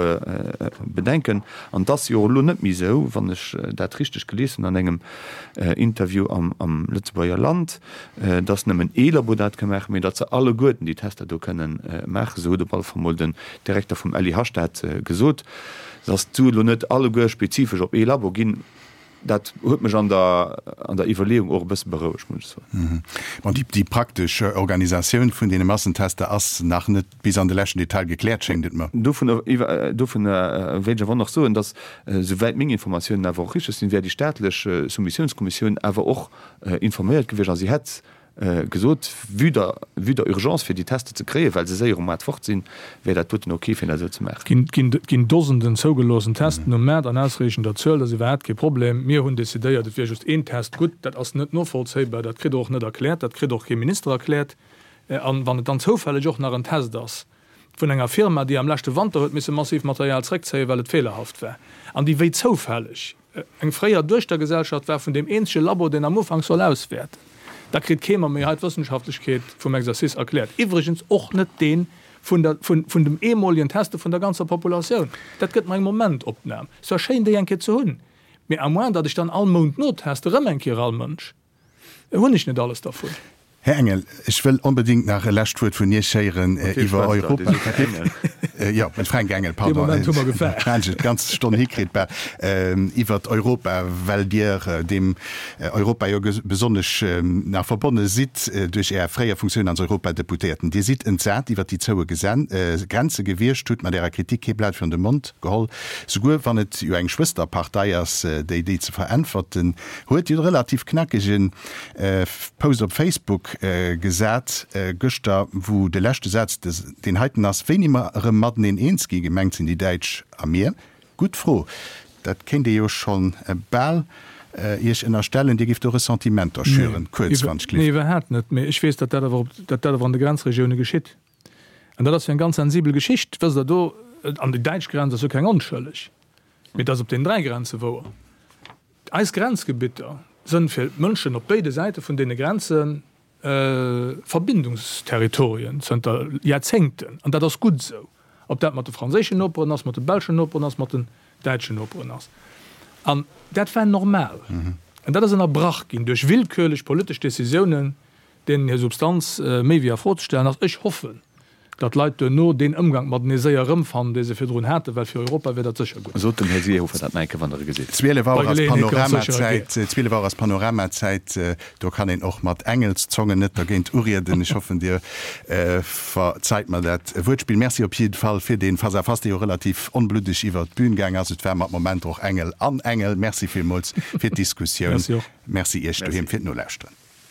bedenken. An et ass jo elo net méi esou, wann ech dat richteg gelies hunn an engem Interview am Lëtzebuerger Land, dass nëmmen ee Labo dat ka maachen, mee datt se alleguerten déi Tester do kënnen maachen. Esou huet op alle Fall mol den Direkter vum LIH dat gesot. Dass d'Sue lo net alleguer spezifesch op ee Labo ginn. Dat huet mech an der, an der Iwwerleeung och e bësse berouegt, muss ech soen. Bon, déi, déi praktesch Organisatioun vun deene Massentester ass nach net bis an de leschten Detail gekläert, schéngt et mer. Dovun, dovun wéilt ech awer och nach soen, dass, souwäit meng Informatiounen awer och richteg sinn, wär déi staatlech Soumissiounskommissioun awer och informéiert gewiescht a si hätt gesot, vue der, vue der Urgence fir déi Tester ze kréien, well se séier um Maart fort sinn, wär dat doten ok fir dat esou ze maachen. Et ginn Dosenden zougeloossen Testen um Maart an ausreechender Zuel, dat ass iwwerhaapt kee Problem. Mir hunn decidéiert, et wier just een Test gutt. Dat ass net novollzéibar, dat kritt Der och net erkläert, dat kritt och kee Minister erkläert. An wann et dann zoufälleg och nach en Test ass vun enger Firma, déi am leschte Wanter huet misse massiv Material zréckzéien, well et feelerhaft war, an déi wéi zoufälleg eng fréier Duechtergesellschaft war vun deem eenzege Labo, deen am Ufank soll auswäerten, da kritt kee mer méi hei d'Wëssenschaftlechkeet vum Exercice erkläert. Iwwregens och net dee vun der, vun, vun dem eemolegen Teste vun der ganzer Populatioun. Dat gëtt mer eng Momentopnam. Et war schéin, déi eng Kéier ze hunn, mee à moins datt ech dann all Mount noteste, erëm eng Kéier all Mënsch. Hunn ech net alles dervun. Här Engel, ech wëll onbedéngt nach e lescht Wuert vun Iech héieren iwwer Europa. Jo, den Fränk Engel, pardon. Dee Moment hu mer gefaart. Hat ech et d'ganz Stonn hikritt, bal. Iwwer Europa, well Dir deem Europa jo besonnesch nach verbonne sidd duerch Är fréier Funktioun als Europadeputéierten. Dir sidd entsat iwwer déi zoue Grenze gewiescht, hutt mat Ärer Kritik kee Blat virun de Mond geholl, souguer wann et jo eng Schwësterpartei ass, déi déi ze veräntwerten huet. Dir hutt e relativ knackege Post op Facebook gesat gëschter, wou de leschte Saz deen heiten ass, Wéini mer erëm mateneen eens gi, gemengt sinn déi Däitsch a mir? Gutt Fro. Dat kéint ee jo scho bal Iech ënnerstellen, Dir gifft do Ressentimenter schüren. Kuerz, wann ech Nee, iwwerhaapt net. Mee ech weess, datt dat awer, datt dat awer an de Grenzregioune geschitt. An dat ass jo eng ganz sensibel Geschicht, wësst Der. Do, an déi däitsch Grenz ass jo keng onschëlleg, mee et ass op deenen 3 Grenze wouer. Eis Grenzgebitter sënn fir d'Mënschen op béide Säite vun deene Grenze Verbindungsterritorien zënter Jaerzéngten, an dat ass gutt esou, ob dat mat de franséischen Noperen ass, mat de belschen Noperen ass, mat den däitschen Noperen ass. An dat war normal. An dat ass ënnerbrach ginn duerch willkürlech politesch Décisiounen, deenen hir Substanz méi wéi a Fro ze stellen ass. Ech hoffen, datt d'Leit duerno deen Ëmgank matenee séier erëmfannen, dee se virdrun haten, well fir Europa wier dat sécher gutt. Sot dem Här Seehofer dat nach eng Kéier, wann Der e gesitt. 12 Auer ass Panoramazäit, 12 Auer ass Panoramazäit, do kann een och mat Engelszongen net dergéint urieden. Ech hoffen, Dir verzeit mer dat Wuertspill. Merci op jidde Fall fir dee Face-à-face, dee jo relativ onbluddeg iwwer d'Bün gaang ass. Et war mat Momenter och Engel an Engel. Merci villmools fir d'Diskussioun. Merci och. Merci Iech doheem fir d'Nolauschteren.